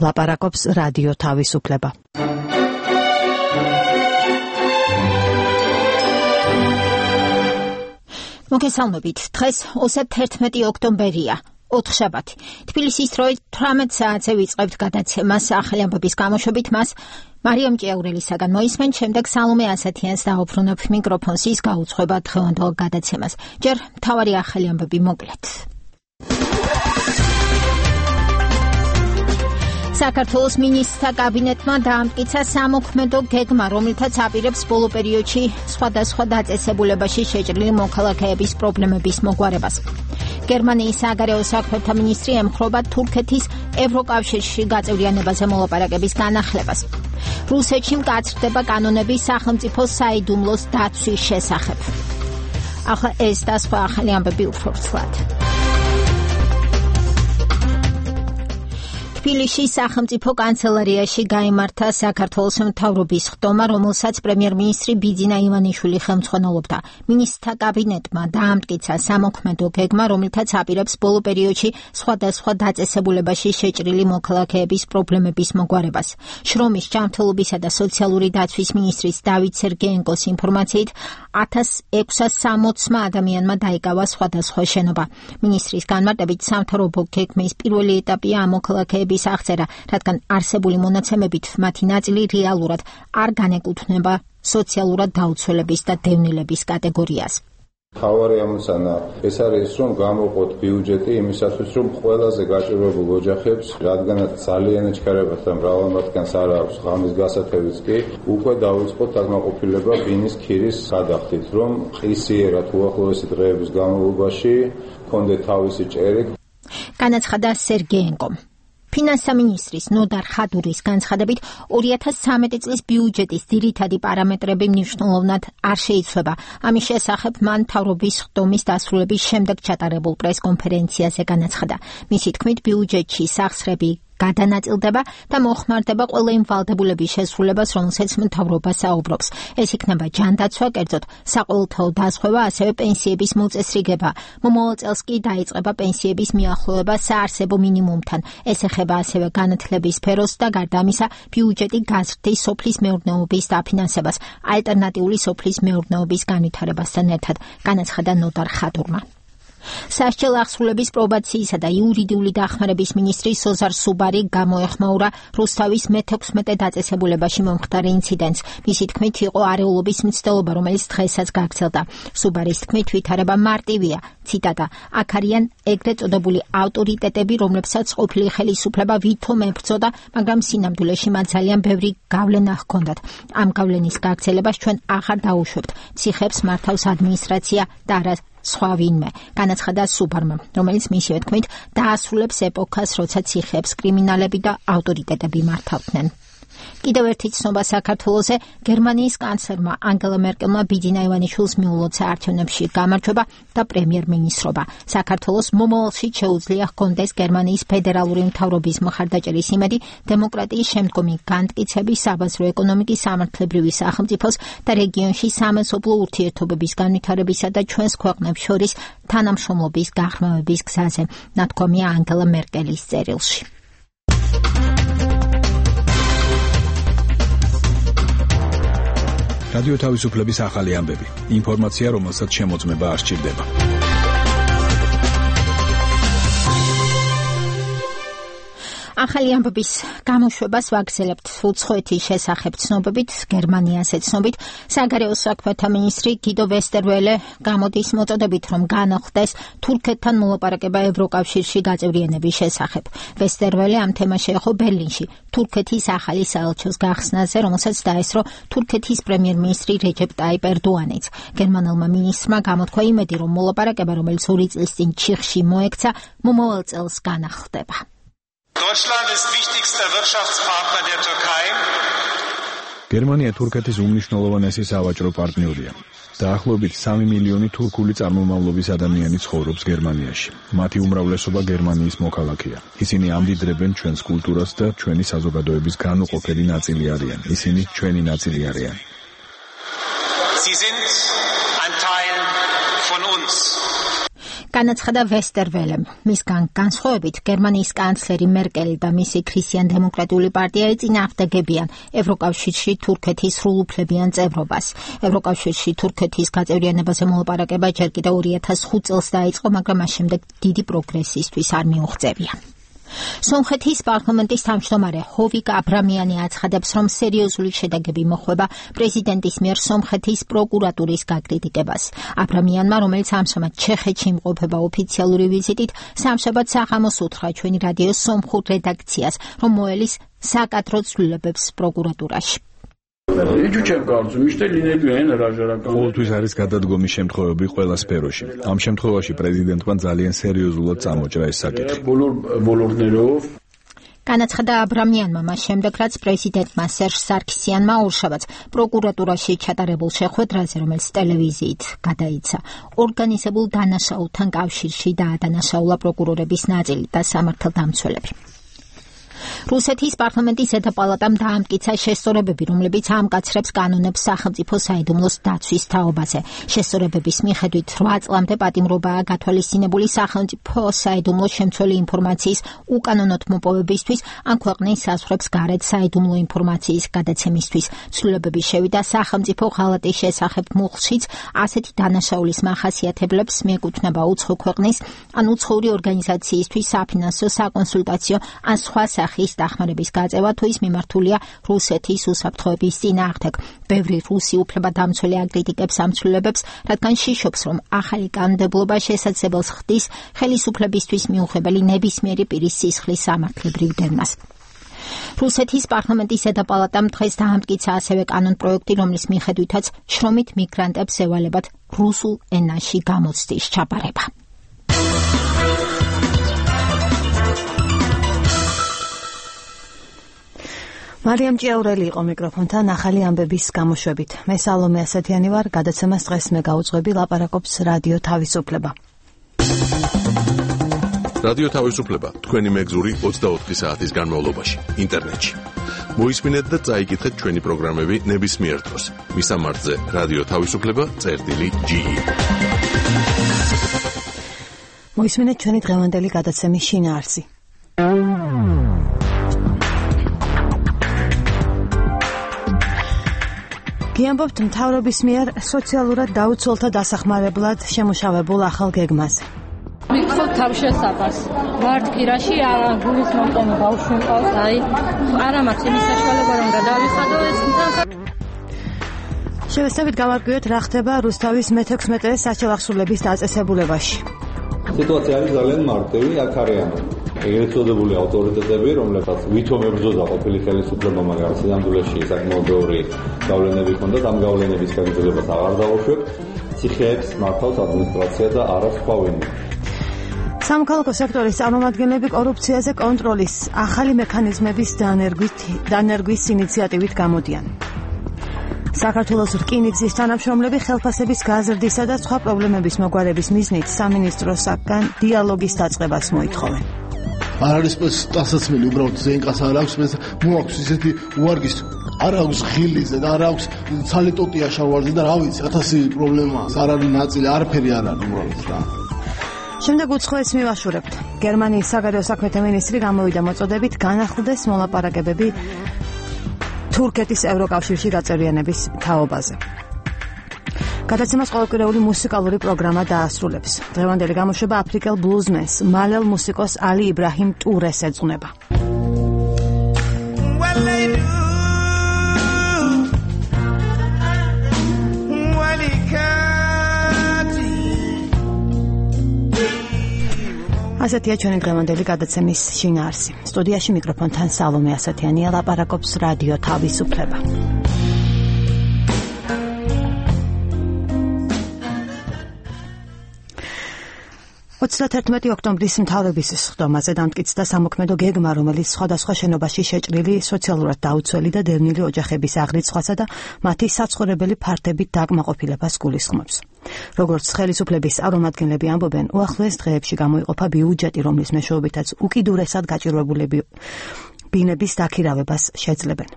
ლაპარაკობს რადიო თავისუფლება. მოგესალმებით. დღეს 11 ოქტომბერია. ოთხშაბათი. თბილისის დროით 18 საათზე ვიწყებთ გადაცემას ახალი ამბების გამოშვებით. მას მარიამ ჭიაურელისაგან მოისმენთ, შემდეგ სალომე ასათიანს დაუბრუნებ მიკროფონს, ის გაუძღვება დღევანდელ გადაცემას. ჯერ მთავარი ახალი ამბები მოკლედ. საქართველოს მინისტრთა კაბინეტმა დაამტკიცა სამოქმედო გეგმა, რომლითაც აპირებს ბოლო პერიოდში სხვადასხვა დაწესებულებაში შეჭრილი მოქალაქეების პრობლემების მოგვარებას. გერმანიის საგარეო საქმეთა მინისტრი ემხრობა თურქეთის ევროკავშირში გაწევრიანებაზე მოლაპარაკების განახლებას. რუსეთში მკაცრდება კანონები სახელმწიფო საიდუმლოს დაცვის შესახებ. ახლა ეს და სხვა ახალი ამბები უფრო ვრცლად. თბილისის სახელმწიფო კანცელარიაში გაიმართა საქართველოს მთავრობის ხდომა, რომელსაც პრემიერ-მინისტრი ბიძინა ივანიშვილი ხელმძღვანელობდა. მინისტრთა კაბინეტმა დაამტკიცა სამოქმედო გეგმა, რომლითაც აპირებს ბოლო პერიოდში სხვადასხვა დაწესებულებაში შეჭრილი მოქალაქეების პრობლემების მოგვარებას. შრომის, ჯანმრთელობისა და სოციალური დაცვის მინისტრის დავით სერგეენკოს ინფორმაციით 1660 ადამიანმა დაიკავა სხვადასხვა შენობა. მინისტრის განმარტებით სამთავრობო გეგმის პირველი ეტაპია ამ მოქალაქეების აღწერა, რადგან არსებული მონაცემებით მათი ნაწილი რეალურად არ განეკუთვნება სოციალურად დაუცველების და დევნილების კატეგორიას. მთავარი ამოცანა ეს არის, რომ გამოყოთ ბიუჯეტი იმისათვის, რომ ყველაზე გაჭირვებულ ოჯახებს, რადგანაც ძალიან ეჩქარებათ და მრავალ მათგანს არ აქვს ღამის გასათევიც კი, უკვე დავიწყოთ დაკმაყოფილება ბინის ქირის გადახდით, რომ ყისიერად უახლოესი დღეების განმავლობაში ჰქონდეთ თავისი ჭერი. განაცხადა სერგეენკომ. ფინანსთა მინისტრის ნოდარ ხადურის განცხადებით 2013 წლის ბიუჯეტის ძირითადი პარამეტრები მნიშვნელოვნად არ შეიცვლება. ამის შესახებ მან მთავრობის ხდომის დასრულების შემდეგ ჩატარებულ პრესკონფერენციაზე განაცხადა. მისი თქმით, ბიუჯეტში სახსრები გადანაწილდება და მოხმარდება ყველა იმ ვალდებულების შესრულებას, რომელსაც მთავრობა საუბრობს. ეს იქნება ჯანდაცვა, კერძოდ საყოველთაო დაზღვევა, ასევე პენსიების მოწესრიგება. მომავალ წელს კი დაიწყება პენსიების მიახლოება საარსებო მინიმუმთან. ეს ეხება ასევე განათლების სფეროს და გარდა ამისა ბიუჯეტი გაზრდის სოფლის მეურნეობის დაფინანსებას, ალტერნატიული სოფლის მეურნეობის განვითარებასთან ერთად, განაცხადა ნოდარ ხადურმა. სასჯელ აღსრულების პრობაციისა და იურიდიული დახმარების მინისტრი სოზარ სუბარი გამოეხმაურა რუსთავის მე-16 დაწესებულებაში მომხდარ ინციდენტს. მისი თქმით, იყო არეულობის მცდელობა, რომელიც დღესაც გაგრძელდა. სუბარის თქმით, ვითარება მარტივია. ციტატა: აქ არიან ეგრეთ წოდებული ავტორიტეტები, რომლებსაც ყოფილი ხელისუფლება ვითომ ებრძოდა, მაგრამ სინამდვილეში მათ ძალიან ბევრი გავლენა ჰქონდათ. ამ გავლენის გაგრძელებას ჩვენ აღარ დაუშვებთ. ციხებს მართავს ადმინისტრაცია და არა სხვა ვინმე, განაცხადა სუბარმა, რომელიც მისივე თქმით დაასრულებს ეპოქას, როცა ციხეებს კრიმინალები და ავტორიტეტები მართავდნენ. კიდევ ერთი ცნობა საქართველოზე. გერმანიის კანცლერმა ანგელა მერკელმა ბიძინა ივანიშვილს მიულოცა არჩევნებში გამარჯვება და პრემიერ-მინისტრობა. საქართველოს მომავალში შეუძლია ჰქონდეს გერმანიის ფედერალური მთავრობის მხარდაჭერის იმედი დემოკრატიის შემდგომი განმტკიცების, საბაზრო ეკონომიკის, სამართლებრივი სახელმწიფოს და რეგიონში სამეზობლო ურთიერთობების განვითარებისა და ჩვენს ქვეყნებს შორის თანამშრომლობის გაღრმავების გზაზე, ნათქვამია ანგელა მერკელის წერილში. რადიო თავისუფლების ახალი ამბები. ინფორმაცია, რომელსაც შემოწმება არ სჭირდება. ახალი ამბების გამოშვებას ვაგრძელებთ უცხოეთის შესახებ ცნობებით, გერმანიაზე ცნობით. საგარეო საქმეთა მინისტრი გიდო ვესტერველე გამოდის მოწოდებით, რომ განახლდეს თურქეთთან მოლაპარაკება ევროკავშირში გაწევრიანების შესახებ. ვესტერველე ამ თემას შეეხო ბერლინში თურქეთის ახალი საელჩოს გახსნაზე, რომელსაც დაესწრო თურქეთის პრემიერ-მინისტრი რეჯეპ ტაიპ ერდოანიც. გერმანელმა მინისტრმა გამოთქვა იმედი, რომ მოლაპარაკება, რომელიც 2 წლის წინ ჩიხში მოექცა, მომავალ წელს განახლდება. Deutschland ist wichtigster Wirtschaftspartner der Türkei. გერმანია თურქეთის უმნიშვნელოვანესი სავაჭრო პარტნიორია. დაახლოებით 3 მილიონი თურქული წარმომავლობის ადამიანი ცხოვრობს გერმანიაში. მათი უმრავლესობა გერმანიის მოქალაქეა. ისინი ამდიდრებენ ჩვენს კულტურას და ჩვენი საზოგადოების განუყოფელი ნაწილი არიან. ისინი ჩვენი ნაწილი არიან. Sie sind ein Teil von uns. განაცხადა ვესტერველემ. მისგან განსხვავებით, გერმანიის კანცლერი მერკელი და მისი ქრისტიან-დემოკრატიული პარტია ეწინააღმდეგებიან ევროკავშირში თურქეთის სრულუფლებიან წევრობას. ევროკავშირში თურქეთის გაწევრიანებაზე მოლაპარაკება ჯერ კიდევ 2005 წელს დაიწყო, მაგრამ მას შემდეგ დიდი პროგრესისთვის არ მიუღწევია. სომხეთის პარლამენტის თავმჯდომარე ჰოვიკ აბრამიანი აცხადებს, რომ სერიოზული შედეგები მოხვება პრეზიდენტის მიერ სომხეთის პროკურატურის გაკრიტიკებას. აბრამიანმა, რომელიც ამჟამად ჩეხეთში იმყოფება ოფიციალური ვიზიტით, სამშაბათ საღამოს უთხრა ჩვენი რადიოს სომხურ რედაქციას, რომ მოელის საკადრო ცვლილებებს პროკურატურაში. ყოველთვის არის გადადგომის შემთხვევები ყველა სფეროში. ამ შემთხვევაში პრეზიდენტმა ძალიან სერიოზულად წამოჭრა ეს საკითხი. განაცხადა აბრამიანმა მას შემდეგ, რაც პრეზიდენტმა სერჟ სარქისიანმა ორშაბათს პროკურატურაში ჩატარებულ შეხვედრაზე, რომელიც ტელევიზიით გადაიცა, ორგანიზებულ დანაშაულთან კავშირში დაადანაშაულა პროკურორების ნაწილი და სამართალდამცველები. რუსეთის პარლამენტის ზედა პალატამ დაამტკიცა შესწორებები, რომლებიც ამკაცრებს კანონებს სახელმწიფო საიდუმლოს დაცვის თაობაზე. შესწორებების მიხედვით 8 წლამდე პატიმრობაა გათვალისწინებული სახელმწიფო საიდუმლოს შემცველი ინფორმაციის უკანონოდ მოპოვებისთვის ან ქვეყნის საზღვრებს გარეთ საიდუმლო ინფორმაციის გადაცემისთვის. ცვლილებები შევიდა სახელმწიფო ღალატის შესახებ მუხლშიც, ასეთი დანაშაულის მახასიათებლებს მიეკუთვნება უცხო ქვეყნის ან უცხოური ორგანიზაციისთვის საფინანსო, საკონსულტაციო ან სხვა სახის დახმარების გაწევა თუ ის მიმართულია რუსეთის უსაფრთხოების წინააღმდეგ. ბევრი რუსი უფლებადამცველი აკრიტიკებს ამ ცვლილებებს, რადგან შიშობს, რომ ახალი კანონმდებლობა შესაძლებელს ხდის ხელისუფლებისთვის მიუღებელი ნებისმიერი პირის სისხლის სამართლებრივ დევნას. რუსეთის პარლამენტის ზედა პალატამ დღეს დაამტკიცა ასევე კანონპროექტი, რომლის მიხედვითაც შრომით მიგრანტებს ევალებათ რუსულ ენაში გამოცდის ჩაბარება. მარიამ ჭიაურელი იყო მიკროფონთან ახალი ამბების გამოშვებით. მე სალომე ასათიანი ვარ, გადაცემას დღეს მე გაუძღვები, ლაპარაკობს რადიო თავისუფლება. რადიო თავისუფლება, თქვენი მეგზური 24 საათის განმავლობაში, ინტერნეტში. მოისმინეთ და წაიკითხეთ ჩვენი პროგრამები ნებისმიერ დროს. მისამართზე რადიო თავისუფლება.ge. მოისმინეთ ჩვენი დღევანდელი გადაცემის შინაარსი. გიამბობთ მთავრობის მიერ სოციალურად დაუცველთა დასახმარებლად შემუშავებულ ახალ გეგმაზე. მიხოთ თავშესაფარს. ვართ კირაში არა გულის მომტანა ბავშვი მყავს, არა მაქვს იმის საშუალება რომ გადავიხადო ეს შევეცდებით გავარკვიოთ რა ხდება რუსთავის მე-16 საჩელახსულების დაწესებულებაში. სიტუაცია არის ძალიან მარტივი, აქ არიან ერთოდებული ავტორიტეტები, რომლებსაც ვითომ ებრძოდა ყოფილი ხელისუფლება, მაგრამ სინამდვილეში საკმაოდ ბევრი გავლენები ჰქონდათ, ამ გავლენების გაგრძელებას აღარ დაუშვებ. ციხეებს მართავს ადმინისტრაცია და არა სხვა ვინმე. სამოქალაქო სექტორის წარმომადგენლები კორუფციაზე კონტროლის ახალი მექანიზმების დანერგვის ინიციატივით გამოდიან. საქართველოს რკინიგზის თანამშრომლები ხელფასების გაზრდისა და სხვა პრობლემების მოგვარების მიზნით სამინისტროსაგან დიალოგის დაწყებას მოითხოვენ. არ არის სტასაცმელი, უბრალოდ ზენკას არ აქვს, მე მოაქვს ისეთი უარგის, არ აქვს ღილიზე და არ აქვს ცალიტოტია შავარზე და რა ვიცი, 1000 პრობლემაა, არ არის ნაწილი, არაფერი არ არის უბრალოდ რა. შემდეგ უცხოეთს მივაშურებთ. გერმანიის საგარეო საქმეთა მინისტრი გამოვიდა მოწოდებით განახლდეს მოლაპარაკებები თურქეთის ევროკავშირში გაწევრიანების თაობაზე. გადაცემას ყოველკვირეული მუსიკალური პროგრამა დაასრულებს. დღევანდელი გამოშვება აფრიკელ ბლუზმენს, მალელ მუსიკოს ალი იბრაჰიმ ტურეს ეძღვნება. ასეთია ჩვენი დღევანდელი გადაცემის შინაარსი. სტუდიაში მიკროფონთან სალომე ასათიანია, ლაპარაკობს რადიო თავისუფლება. 31 ოქტომბრის მთავრობის სხდომაზე დამტკიცდა სამოქმედო გეგმა, რომელიც სხვადასხვა შენობაში შეჭრილი სოციალურად დაუცველი და დევნილი ოჯახების აღრიცხვასა და მათი საცხოვრებელი ფართებით დაკმაყოფილებას გულისხმობს. როგორც ხელისუფლების წარმომადგენლები ამბობენ, უახლოეს დღეებში გამოიყოფა ბიუჯეტი, რომლის მეშვეობითაც უკიდურესად გაჭირვებულები ბინების დაქირავებას შეძლებენ.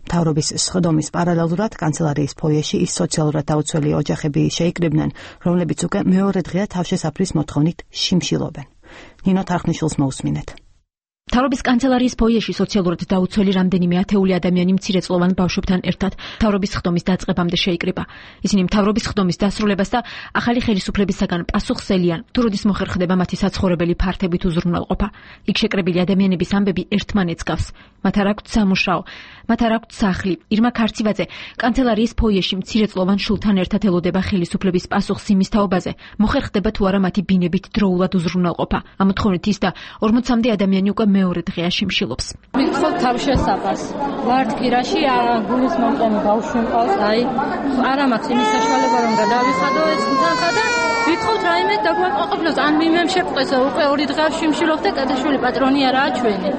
მთავრობის სხდომის პარალელურად კანცელარიის ფოიეში ის სოციალურად დაუცველი ოჯახები შეიკრიბნენ, რომლებიც უკვე მეორე დღეა თავშესაფრის მოთხოვნით შიმშილობენ. ნინო თარხნიშვილს მოусმინეთ. მთავრობის კანცელარიის ფოიეში სოციალურად დაუცველი რამდენიმე ათეული ადამიანი მცირეწლოვან ბავშვებთან ერთად მთავრობის სხდომის დაწყებამდე შეიკრიბა. ისინი მთავრობის სხდომის დასრულებას და ახალი ხელისუფლებისაგან პასუხსელიან, თუ როდის მოხერხდება მათი საცხოვრებელი ფართებით უზრუნველყოფა. იქ შეკრებილი ადამიანების ამბები ერთმანეთს გავს. მათ არ აქვთ სამუშაო, მათ არ აქვთ სახლი. ირმა ქარცივაძე კანცელარიის ფოიეში მცირეწლოვან შულთან ერთად ელოდება ხელისუფლების პასუხს იმის თაობაზე, მოხერხდება თუ არა მათი ბინებით დროულად უზრუნველყოფა. ამ მოთხოვნით ის და 40-მდე ადამიანი უკვე მეორე დღეა შიმშილობს. მიხოთ თავშესაფარს. ვართ კირაში გულის მომყენი ბავშვი მყავს, არა მაქვს იმის საშუალება რომ გადავიხადო ეს თანხა და ვიტყოთ რაიმე დაგვაყოფილოს ან მიმემ შეყეს უკვე 2 დღე შიმშილობ და კადაშვილი პატრონი არაა ჩვენი.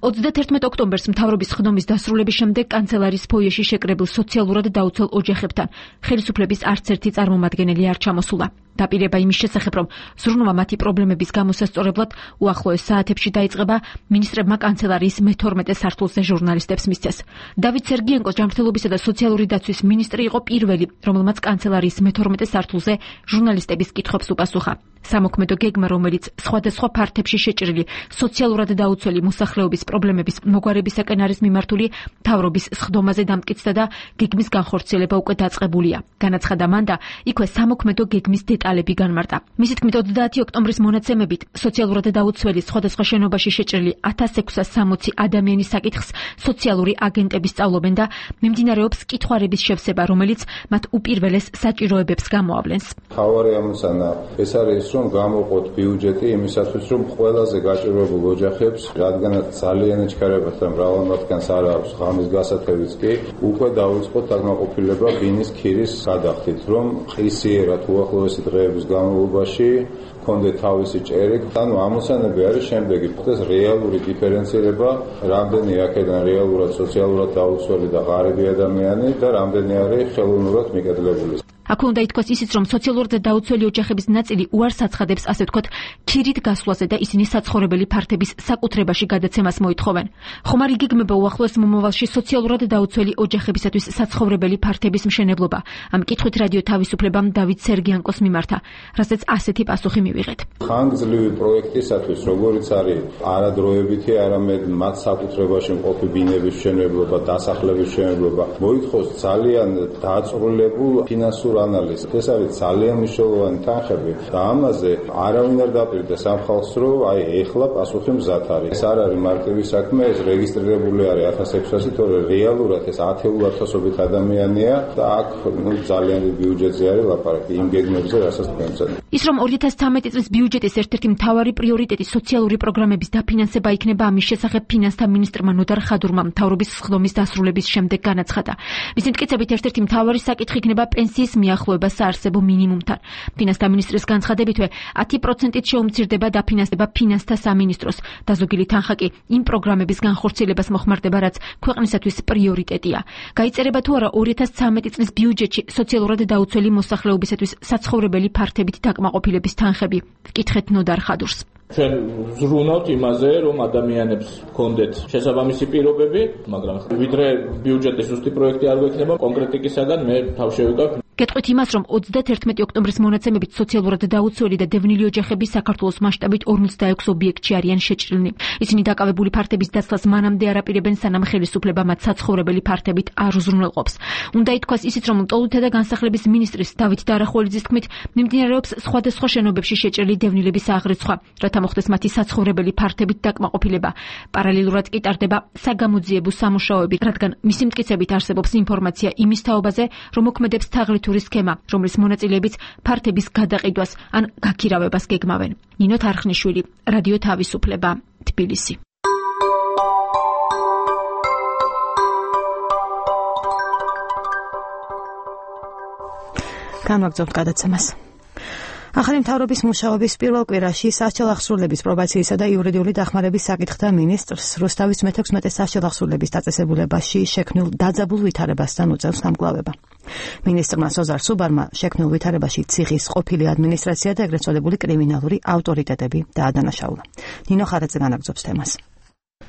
31 ოქტომბერს მთავრობის სხდომის დასრულების შემდეგ კანცელარიის ფოიეში შეკრებილ სოციალურად დაუცველ ოჯახებთან ხელისუფლების არც ერთი წარმომადგენელი არ ჩამოსულა. დაპირება იმის შესახებ, რომ ზრუნვა მათი პრობლემების გამოსასწორებლად უახლოეს საათებში დაიწყება, მინისტრებმა კანცელარიის მე-12 სართულზე ჟურნალისტებს მისცეს. დავით სერგიენკოს ჯანმრთელობისა და სოციალური დაცვის მინისტრი იყო პირველი, რომელმაც კანცელარიის მე-12 სართულზე ჟურნალისტების კითხვებს უპასუხა. სამოქმედო გეგმა, რომელიც სხვადასხვა ფართებში შეჭრილი სოციალურად დაუცველი მოსახლეობის პრობლემების მოგვარებისაკენ არის მიმართული, მთავრობის სხდომაზე დამტკიცდა და გეგმის განხორციელება უკვე დაწყებულია. განაცხადა მან და იქვე სამოქმედო გეგმის დეტალები განმარტა. მისი თქმით, 30 ოქტომბრის მონაცემებით სოციალურად დაუცველი სხვადასხვა შენობაში შეჭრილი 1660 ადამიანის საკითხს სოციალური აგენტები სწავლობენ და მიმდინარეობს კითხვარების შევსება, რომელიც მათ უპირველეს საჭიროებებს გამოავლენს. მთავარი ამოცანა ეს არის, რომ გამოყოთ ბიუჯეტი იმისათვის, რომ ყველაზე გაჭირვებულ ოჯახებს, რადგანაც ძალიან ეჩქარებათ და მრავალ მათგანს არ აქვს ღამის გასათევიც კი, უკვე დაიწყოთ დაკმაყოფილება ბინის ქირის გადახდით, რომ ყისიერად უახლოესი დღეების განმავლობაში კონდეთ თავისი ჭერი. ანუ ამოცანები არის შემდეგი: ხდეს რეალური დიფერენცირება, რამდენი აქედან რეალურად სოციალურად დაუცველი და ღარიბი ადამიანი და რამდენი არის ხელოვნურად მიკედლებული. აქ უნდა ითქვას ისიც, რომ სოციალურად დაუცველი ოჯახების ნაწილი უარს აცხადებს, ასე ვთქვათ, ქირით გასვლაზე და ისინი საცხოვრებელი ფართების საკუთრებაში გადაცემას მოითხოვენ. ხომ არ იგეგმება უახლოეს მომავალში სოციალურად დაუცველი ოჯახებისათვის საცხოვრებელი ფართების მშენებლობა? ამ კითხვით რადიო თავისუფლებამ დავით სერგიანკოს მიმართა, რასაც ასეთი პასუხი მივიღეთ. ხანგრძლივი პროექტისათვის, როგორიც არის არადროებითი, არამედ მათ საკუთრებაში მყოფი ბინების მშენებლობა, დასახლების მშენებლობა, მოითხოვს ძალიან დაწვრილებულ ფინანსურ ანალიზს. ეს არის ძალიან მნიშვნელოვანი თანხები და ამაზე არავინ არ დაპირდეს ამ ხალხს, რომ ეხლა პასუხი მზად არის. ეს არ არის მარტივი საქმე, ეს რეგისტრირებული არის 1600, თორე რეალურად ეს 10,000-ობით ადამიანია და აქ ძალიან დიდი ბიუჯეტზე არის ლაპარაკი იმ გეგმებზე, რასაც თქვენცად. ის რომ 2013 წლის ბიუჯეტის ერთ-ერთი მთავარი პრიორიტეტი სოციალური პროგრამების დაფინანსება იქნება, ამის შესახებ ფინანსთა მინისტრმა ნოდარ ხადურმა მთავრობის სხდომის დასრულების შემდეგ განაცხადა. მისი მტკიცებით ერთ-ერთი მთავარი საკითხი იქნება პენსიის მიახლოება საარსებო მინიმუმთან. ფინანსთა მინისტრის განცხადებითვე 10%-ით შეუმცირდება დაფინანსება ფინანსთა სამინისტროს და ზოგიერთი თანხა კი იმ პროგრამების განხორციელებას მოხმარდება, რაც ქვეყნისათვის პრიორიტეტია. გაიწერება თუ არა 2013 წლის ბიუჯეტში სოციალურად დაუცველი მოსახლეობისათვის საცხოვრებელი ფართებით დაკმაყოფილების თანხები? ვკითხეთ ნოდარ ხადურს. ჩვენ ზრუნავთ იმაზე, რომ ადამიანებს ჰქონდეთ შესაბამისი პირობები, მაგრამ ვიდრე ბიუჯეტის ზუსტი პროექტი არ გვექნება, კონკრეტიკისაგან მე თავ შევიკავ. გეტყვით იმას, რომ 31 ოქტომბრის მონაცემებით სოციალურად დაუცველი და დევნილი ოჯახები საქართველოს მასშტაბით 46 ობიექტში არიან შეჭრილნი. ისინი დაკავებული ფართების დაცლას მანამდე არ აპირებენ, სანამ ხელისუფლება მათ საცხოვრებელი ფართებით არ უზრუნველყოფს. უნდა ითქვას ისიც, რომ მტოლვილთა და განსახლების მინისტრის დავით დარახველიძის თქმით, მიმდინარეობს სხვადასხვა შენობებში შეჭრილი დევნილების აღრიცხვა, რათა მოხდეს მათი საცხოვრებელი ფართებით დაკმაყოფილება. პარალელურად კი ტარდება საგამოძიებო სამუშაოები, რადგან მისი მტკიცებით არსებობს ინფორმაცია იმის თაობაზე, რომ მოქმედებს თაღლითური სქემა, რომლის მონაწილეებიც ფართების გადაყიდვას ან გაქირავებას გეგმავენ. ნინო თარხნიშვილი, რადიო თავისუფლება, თბილისი. განვაგრძობთ გადაცემას. ახალი მთავრობის მუშაობის პირველ კვირაში სასჯელ-აღსრულების პრობაციისა და იურიდიული დახმარების საკითხთა მინისტრს რუსთავის მე-16 სასჯელ-აღსრულების დაწესებულებაში შექმნილ დაძაბულ ვითარებასთან უწევს გამკლავება. მინისტრმა სოზარ სუბარმა შექმნილ ვითარებაში ციხის ყოფილი ადმინისტრაცია და ეგრეთ წოდებული კრიმინალური ავტორიტეტები დაადანაშაულა. ნინო ხარაძე განაგრძობს თემას.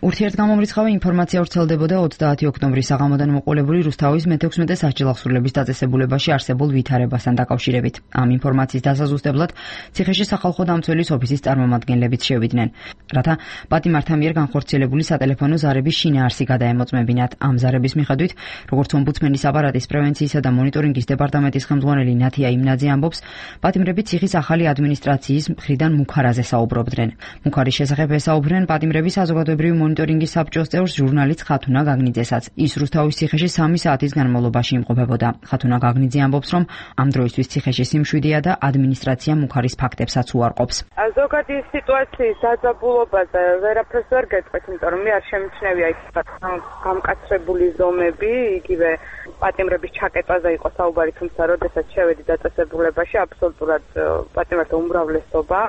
ურთიერთგამომრიცხავი ინფორმაცია ვრცელდებოდა 30 ოქტომბრის საღამოდან მოყოლებული რუსთავის მე-16 სასჯელახსრულების დაწესებულებაში არსებულ ვითარებასთან დაკავშირებით. ამ ინფორმაციის დასაზუსტებლად ციხეში სახალხო დამცველის ოფისის წარმომადგენლებიც შევიდნენ, რათა პატიმართა მიერ განხორციელებული სატელეფონო ზარების შინაარსი გადაემოწმებინათ. ამ ზარების მიხედვით, როგორც ომბუდსმენის აპარატის პრევენციისა და მონიტორინგის დეპარტამენტის ხელმძღვანელი ნათია იმნაძე ამბობს, პატიმრები ციხის ახალი ადმინისტრაციის მხრიდან მუქარაზე საუბრობდნენ. მუქარის შესახებ ესაუბრნენ პატიმრების საზოგადოებრივი მონიტორინგის საბჭოს წევრს ჟურნალისტ ხათუნა გაგნიძესაც. ის რუსთავის ციხეში 3 საათის განმავლობაში იმყოფებოდა. ხათუნა გაგნიძე ამბობს, რომ ამ დროისთვის ციხეში სიმშვიდეა და ადმინისტრაცია მუქარის ფაქტებსაც უარყოფს. ზოგადი სიტუაციის დაძაბულობაზე ვერაფერს ვერ გეტყვით, იმიტომ რომ მე არ შემჩნევია ის გამკაცრებული ზომები, იგივე პატიმრების ჩაკეტვაზე იყო საუბარი, თუმცა როდესაც შევედი დაწესებულებაში, აბსოლუტურად პატიმართა უმრავლესობა,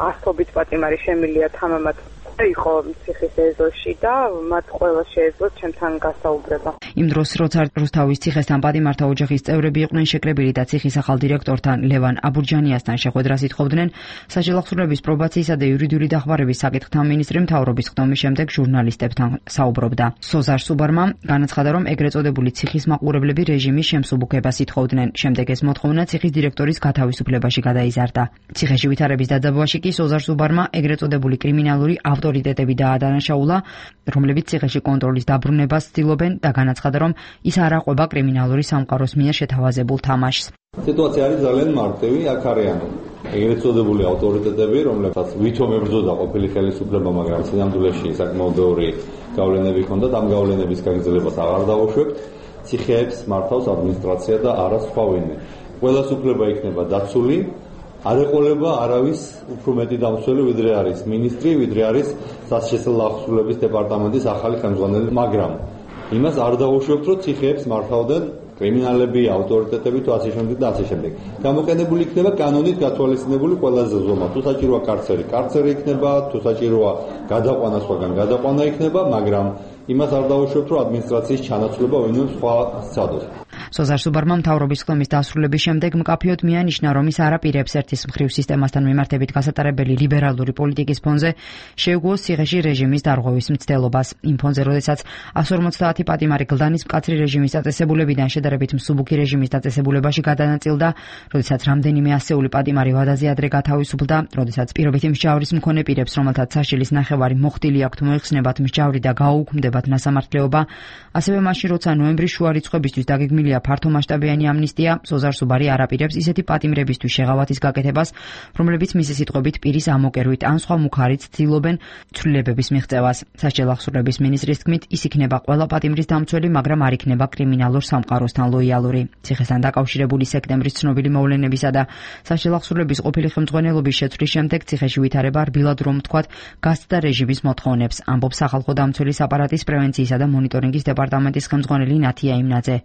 ასობით პატიმარი შემილია თამამად იყო ციხის ეზოში და მათ ყველა შეეძლოთ ჩემთან გასაუბრება. იმ დროს, როცა რუსთავის ციხესთან პატიმართა ოჯახის წევრები იყვნენ შეკრებილი და ციხის ახალ დირექტორთან ლევან აბურჯანიასთან შეხვედრას ითხოვდნენ, სასჯელახსრულების პრობაციისა და იურიდიული დახმარების საკითხთა მინისტრი მთავრობის ხდომის შემდეგ ჟურნალისტებთან საუბრობდა. სოზარ სუბარმა განაცხადა, რომ ეგრეთ წოდებული ციხის მაყურებლები რეჟიმის შემსუბუქებას ითხოვდნენ. შემდეგ ეს მოთხოვნა ციხის დირექტორის გათავისუფლებაში გადაიზარდა. ციხეში ვითარების დაძაბვაში კი სოზარ სუბარმა ეგრეთ წოდებული კრიმინალური ავტორიტეტები დაადანაშაულა, რომლებიც ციხეში კონტროლის დაბრუნებას ცდილობენ და განაცხადა, რომ ის არ აყვება კრიმინალური სამყაროს მიერ შეთავაზებულ თამაშს. სიტუაცია არის ძალიან მარტივი, აქ არიან ეგრეთ წოდებული ავტორიტეტები, რომლებსაც ვითომ ებრძოდა ყოფილი ხელისუფლება, მაგრამ სინამდვილეში საკმაოდ ბევრი გავლენები ჰქონდათ, ამ გავლენების გაგრძელებას აღარ დავუშვებთ. ციხეებს მართავს ადმინისტრაცია და არა სხვა ვინმე. ყველას უფლება იქნება დაცული, არ ეყოლება არავის უფრო მეტი დამცველი, ვიდრე არის მინისტრი, ვიდრე არის სასჯელახსრულების დეპარტამენტის ახალი ხელმძღვანელი, მაგრამ იმას არ დავუშვებთ, რომ ციხეებს მართავდნენ კრიმინალები, ავტორიტეტები თუ ასე შემდეგ და ასე შემდეგ. გამოყენებული იქნება კანონით გათვალისწინებული ყველაზე ზომა. თუ საჭიროა კარცერი, კარცერი იქნება, თუ საჭიროა გადაყვანა, სხვაგან გადაყვანა იქნება, მაგრამ იმას არ დავუშვებთ, რომ ადმინისტრაციის ჩანაცვლება ვინმე სხვა სცადოს. სოზარ სუბარმა მთავრობის ხდომის დასრულების შემდეგ მკაფიოდ მიანიშნა, რომ ის არ აპირებს ერთის მხრივ სისტემასთან მიმართებით გასატარებელი ლიბერალური პოლიტიკის ფონზე შეუგუოს ციხეში რეჟიმის დარღვევის მცდელობას. იმ ფონზე, როდესაც 150 პატიმარი გლდანის მკაცრი რეჟიმის დაწესებულებიდან შედარებით მსუბუქი რეჟიმის დაწესებულებაში გადანაწილდა, როდესაც რამდენიმე ასეული პატიმარი ვადაზე ადრე გათავისუფლდა, როდესაც პირობითი მსჯავრის მქონე პირებს, რომელთაც საშილის ნახევარი მოხდილი აქვთ, მოეხსნებათ მსჯავრი და გაუქმდებათ ნასამართლეობა, ასევე მაშინ, როცა ნოემბრის შუა რიცხვებისთვის დაგეგმილია ფართომასშტაბიანი ამნისტია, სოზარ სუბარი არ აპირებს ისეთი პატიმრებისთვის შეღავათის გაკეთებას, რომლებიც მისი სიტყვებით პირის ამოკერვით ან სხვა მუქარით ცდილობენ ცვლილებების მიღწევას. სასჯელახსრულების მინისტრის თქმით, ის იქნება ყველა პატიმრის დამცველი, მაგრამ არ იქნება კრიმინალურ სამყაროსთან ლოიალური. ციხესთან დაკავშირებული სექტემბრის ცნობილი მოვლენებისა და სასჯელახსრულების ყოფილი ხელმძღვანელობის შეცვლის შემდეგ ციხეში ვითარება რბილად რომ ვთქვათ, გასცდა რეჟიმის მოთხოვნებს, ამბობს სახალხო დამცველის აპარატის პრევენციისა და მონიტორინგის დეპარტამენტის ხელმძღვანელი ნათია იმნაძე.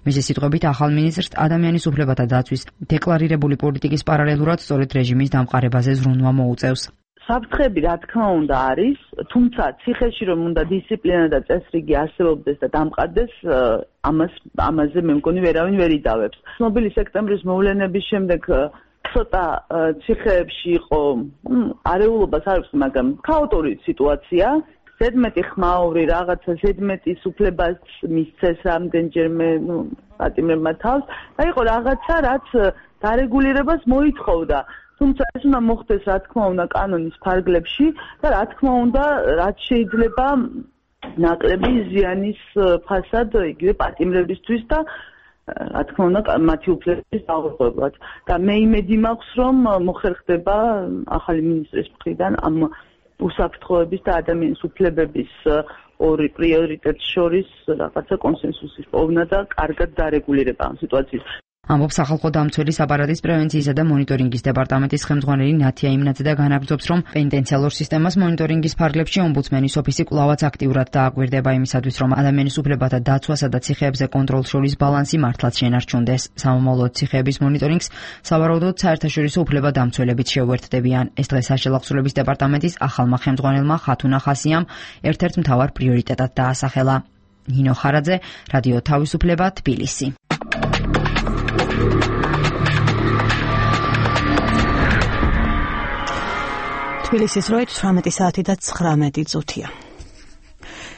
მისი სიტყვებით, ახალ მინისტრს ადამიანის უფლებათა დაცვის დეკლარირებული პოლიტიკის პარალელურად სწორედ რეჟიმის დამყარებაზე ზრუნვა მოუწევს. საფრთხები რა თქმა უნდა არის, თუმცა ციხეში რომ უნდა დისციპლინა და წესრიგი არსებობდეს და დამყარდეს, ამაზე მე მგონი ვერავინ ვერ იდავებს. ცნობილი სექტემბრის მოვლენების შემდეგ ცოტა ციხეებში იყო არეულობას არ ვიცი, მაგრამ ქაოტური სიტუაცია. ზედმეტი ხმაური რაღაცა ზედმეტის უფლებას მისცეს რამდენჯერმე პატიმრებმა თავს და იყო რაღაცა რაც დარეგულირებას მოითხოვდა. თუმცა ეს უნდა მოხდეს რა თქმა უნდა კანონის ფარგლებში და რა თქმა უნდა რაც შეიძლება ნაკლები ზიანის ფასად იგივე პატიმრებისთვის და რა თქმა უნდა მათი უფლებების დაუღებლად. და მე იმედი მაქვს რომ მოხერხდება ახალი მინისტრის მხრიდან ამ უსაფრთხოების და ადამიანის უფლებების ორი პრიორიტეტს შორის რაღაცა კონსენსუსის პოვნა და კარგად დარეგულირება ამ სიტუაციის. ამბობს სახალხო დამცველის აპარატის პრევენციისა და მონიტორინგის დეპარტამენტის ხელმძღვანელი ნათია იმნაძე და განაგრძობს, რომ პენიტენციალურ სისტემას მონიტორინგის ფარგლებში ომბუდსმენის ოფისი კვლავაც აქტიურად დააკვირდება იმისათვის, რომ ადამიანის უფლებათა დაცვასა და ციხეებზე კონტროლს შორის ბალანსი მართლაც შენარჩუნდეს. სამომავლოდ ციხეების მონიტორინგს სავარაუდოდ საერთაშორისო უფლებადამცველებიც შეუერთდებიან. ეს დღეს სასჯელახსრულების დეპარტამენტის ახალმა ხელმძღვანელმა ხათუნა ხასიამ ერთ-ერთ მთავარ პრიორიტეტად დაასახელა. ნინო ხარაძე, რადიო თავისუფლება, თბილისი. თბილისის დროით 18 საათი და 19 წუთია.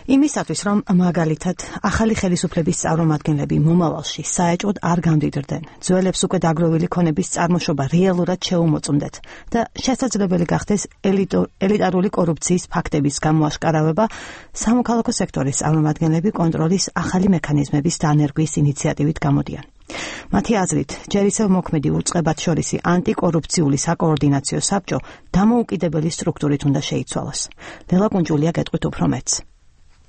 იმისათვის, რომ მაგალითად ახალი ხელისუფლების წარმომადგენლები მომავალში საეჭვოდ არ გამდიდრდნენ, ძველებს უკვე დაგროვილი ქონების წარმოშობა რეალურად შეუმოწმდეთ და შესაძლებელი გახდეს ელიტარული კორუფციის ფაქტების გამოაშკარავება, სამოქალაქო სექტორის წარმომადგენლები კონტროლის ახალი მექანიზმების დანერგვის ინიციატივით გამოდიან. მათი აზრით, ჯერ ისევ მოქმედი უწყებად შორისი ანტიკორუფციული საკოორდინაციო საბჭო დამოუკიდებელი სტრუქტურით უნდა შეიცვალოს. ლელა კუნჯულია გეტყვით უფრო მეტს.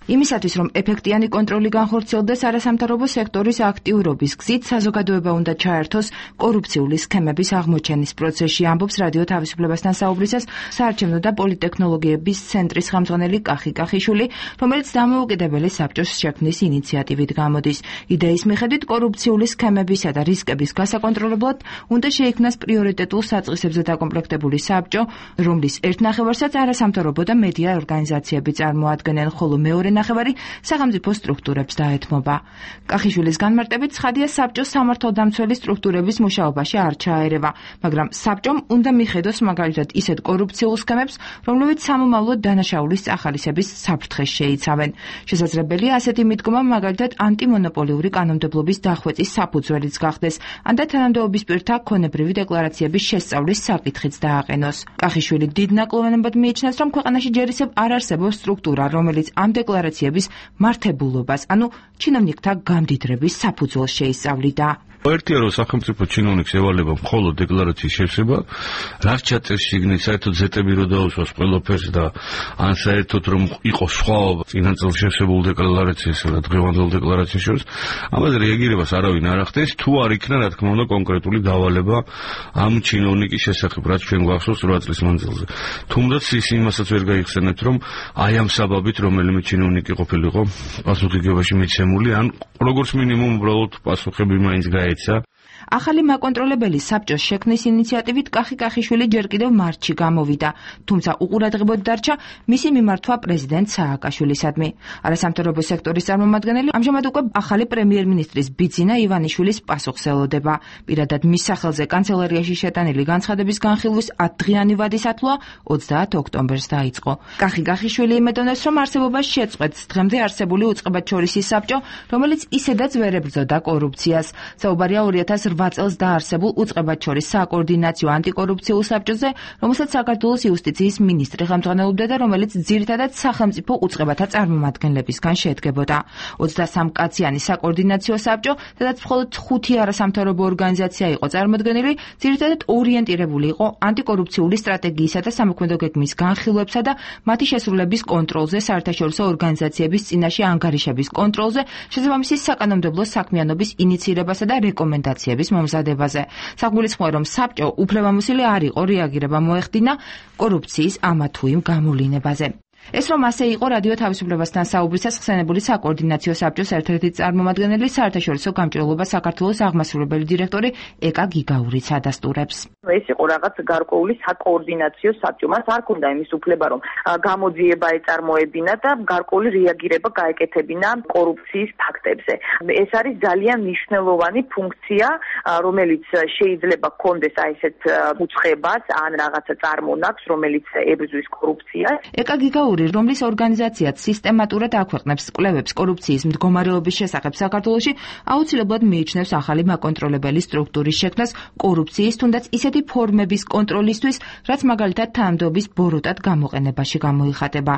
იმისათვის, რომ ეფექტიანი კონტროლი განხორციელდეს არასამთავრობო სექტორის აქტიურობის გზით, საზოგადოება უნდა ჩაერთოს კორუფციული სქემების აღმოჩენის პროცესში, ამბობს რადიო თავისუფლებასთან საუბრისას საარჩევნო და პოლიტექნოლოგიების ცენტრის ხელმძღვანელი კახი კახიშვილი, რომელიც დამოუკიდებელი საბჭოს შექმნის ინიციატივით გამოდის. იდეის მიხედვით, კორუფციული სქემებისა და რისკების გასაკონტროლებლად უნდა შეიქმნას პრიორიტეტულ საწყისებზე დაკომპლექტებული საბჭო, რომლის ერთ ნახევარსაც არასამთავრობო და მედია ორგანიზაციები წარმოადგენენ, ხოლო მეორე ნახევარი სახელმწიფო სტრუქტურებს დაეთმობა. კახიშვილის განმარტებით, ცხადია საბჭოს სამართალდამცველი სტრუქტურების მუშაობაში არ ჩაერევა, მაგრამ საბჭომ უნდა მიხედოს მაგალითად ისეთ კორუფციულ სქემებს, რომლებიც სამომავლო დანაშაულის წახალისების საფრთხეს შეიცავენ. შესაძლებელია ასეთი მიდგომა მაგალითად ანტიმონოპოლიური კანონმდებლობის დახვეწის საფუძველიც გახდეს, ან და თანამდებობის პირთა ქონებრივი დეკლარაციების შესწავლის საკითხიც დააყენოს. კახიშვილი დიდ ნაკლოვანებად მიიჩნევს, რომ ქვეყანაში ჯერ ისევ არ არსებობს სტრუქტურა, რომელიც ამ დეკლარაციების მართებულობას, ანუ ჩინოვნიკთა გამდიდრების საფუძველს შეისწავლიდა. ერთია რომ სახელმწიფო ჩინოვნიკს ევალება მხოლოდ დეკლარაციის შევსება, რაც ჩაწერს შიგნით, საერთოდ ზეტები რო დაუსვას ყველაფერს და ან საერთოდ რომ იყოს სხვაობა წინაწელს შევსებულ დეკლარაციასა და დღევანდელ დეკლარაციას შორის, ამაზე რეაგირებას არავინ არ ახდენს, თუ არ იქნა რა თქმა უნდა კონკრეტული დავალება ამ ჩინოვნიკის შესახებ, რაც ჩვენ გვახსოვს 8 წლის მანძილზე. თუმდაც ის იმასაც ვერ გაიხსენებთ, რომ აი ამ საბაბით რომელიმე ჩინოვნიკი ყოფილიყო პასუხისმგებლობაში მიცემული, ან როგორც მინიმუმ უბრალოდ პასუხები მაინც გაეცა. ახალი მაკონტროლებელი საბჭოს შექმნის ინიციატივით კახი კახიშვილი ჯერ კიდევ მარტში გამოვიდა, თუმცა უყურადღებოდ დარჩა მისი მიმართვა პრეზიდენტ სააკაშვილისადმი. არასამთავრობო სექტორის წარმომადგენელი ამჟამად უკვე ახალი პრემიერ-მინისტრის ბიძინა ივანიშვილის პასუხს ელოდება. პირადად მის სახელზე კანცელარიაში შეტანილი განცხადების განხილვის 10 დღიანი ვადის ათვლა 30 ოქტომბერს დაიწყო. კახი კახიშვილი იმედოვნებს, რომ არსებობას შეწყვეტს დღემდე არსებული უწყებადშორისი საბჭო, რომელიც ისედაც ვერ ებრძოდა კორუფციას. საუბარია 2008 წელს დაარსებულ უწყებადშორის საკოორდინაციო ანტიკორუფციულ საბჭოზე, რომელსაც საქართველოს იუსტიციის მინისტრი ხელმძღვანელობდა და რომელიც ძირითადად სახელმწიფო უწყებათა წარმომადგენლებისგან შედგებოდა. 23 კაციანი საკოორდინაციო საბჭო, სადაც მხოლოდ 5 არასამთავრობო ორგანიზაცია იყო წარმოდგენილი, ძირითადად ორიენტირებული იყო ანტიკორუფციული სტრატეგიისა და სამოქმედო გეგმის განხილვებსა და მათი შესრულების კონტროლზე, საერთაშორისო ორგანიზაციების წინაშე ანგარიშების კონტროლზე, შესაბამისი საკანონმდებლო საქმიანობის ინიცირებასა და რეკომენდაციების მომზადებაზე. საგულისხმოა, რომ საბჭო უფლებამოსილი არ იყო რეაგირება მოეხდინა კორუფციის ამა თუ იმ გამოვლინებაზე. ეს რომ ასე იყო რადიო თავისუფლებასთან საუბრისას ხსენებული საკოორდინაციო საბჭოს ერთ-ერთი წარმომადგენელი საერთაშორისო გამჭირვალობა საქართველოს აღმასრულებელი დირექტორი ეკა გიგაურიც ადასტურებს. ეს იყო რაღაც გარკვეული საკოორდინაციო საბჭო, მას არ ქონდა იმის უფლება, რომ გამოძიება ეწარმოებინა და გარკვეული რეაგირება გაეკეთებინა კორუფციის ფაქტებზე. ეს არის ძალიან მნიშვნელოვანი ფუნქცია, რომელიც შეიძლება ჰქონდეს აი ესეთ უწყებას ან რაღაცა წარმონაქვს, რომელიც ებრძვის კორუფციას. ეკა გიგაური, რომლის ორგანიზაციაც სისტემატურად აქვეყნებს კვლევებს კორუფციის მდგომარეობის შესახებ საქართველოში, აუცილებლად მიიჩნევს ახალი მაკონტროლებელი სტრუქტურის შექმნას კორუფციის თუნდაც ისეთი ფორმების კონტროლისთვის, რაც მაგალითად თანამდებობის ბოროტად გამოყენებაში გამოიხატება.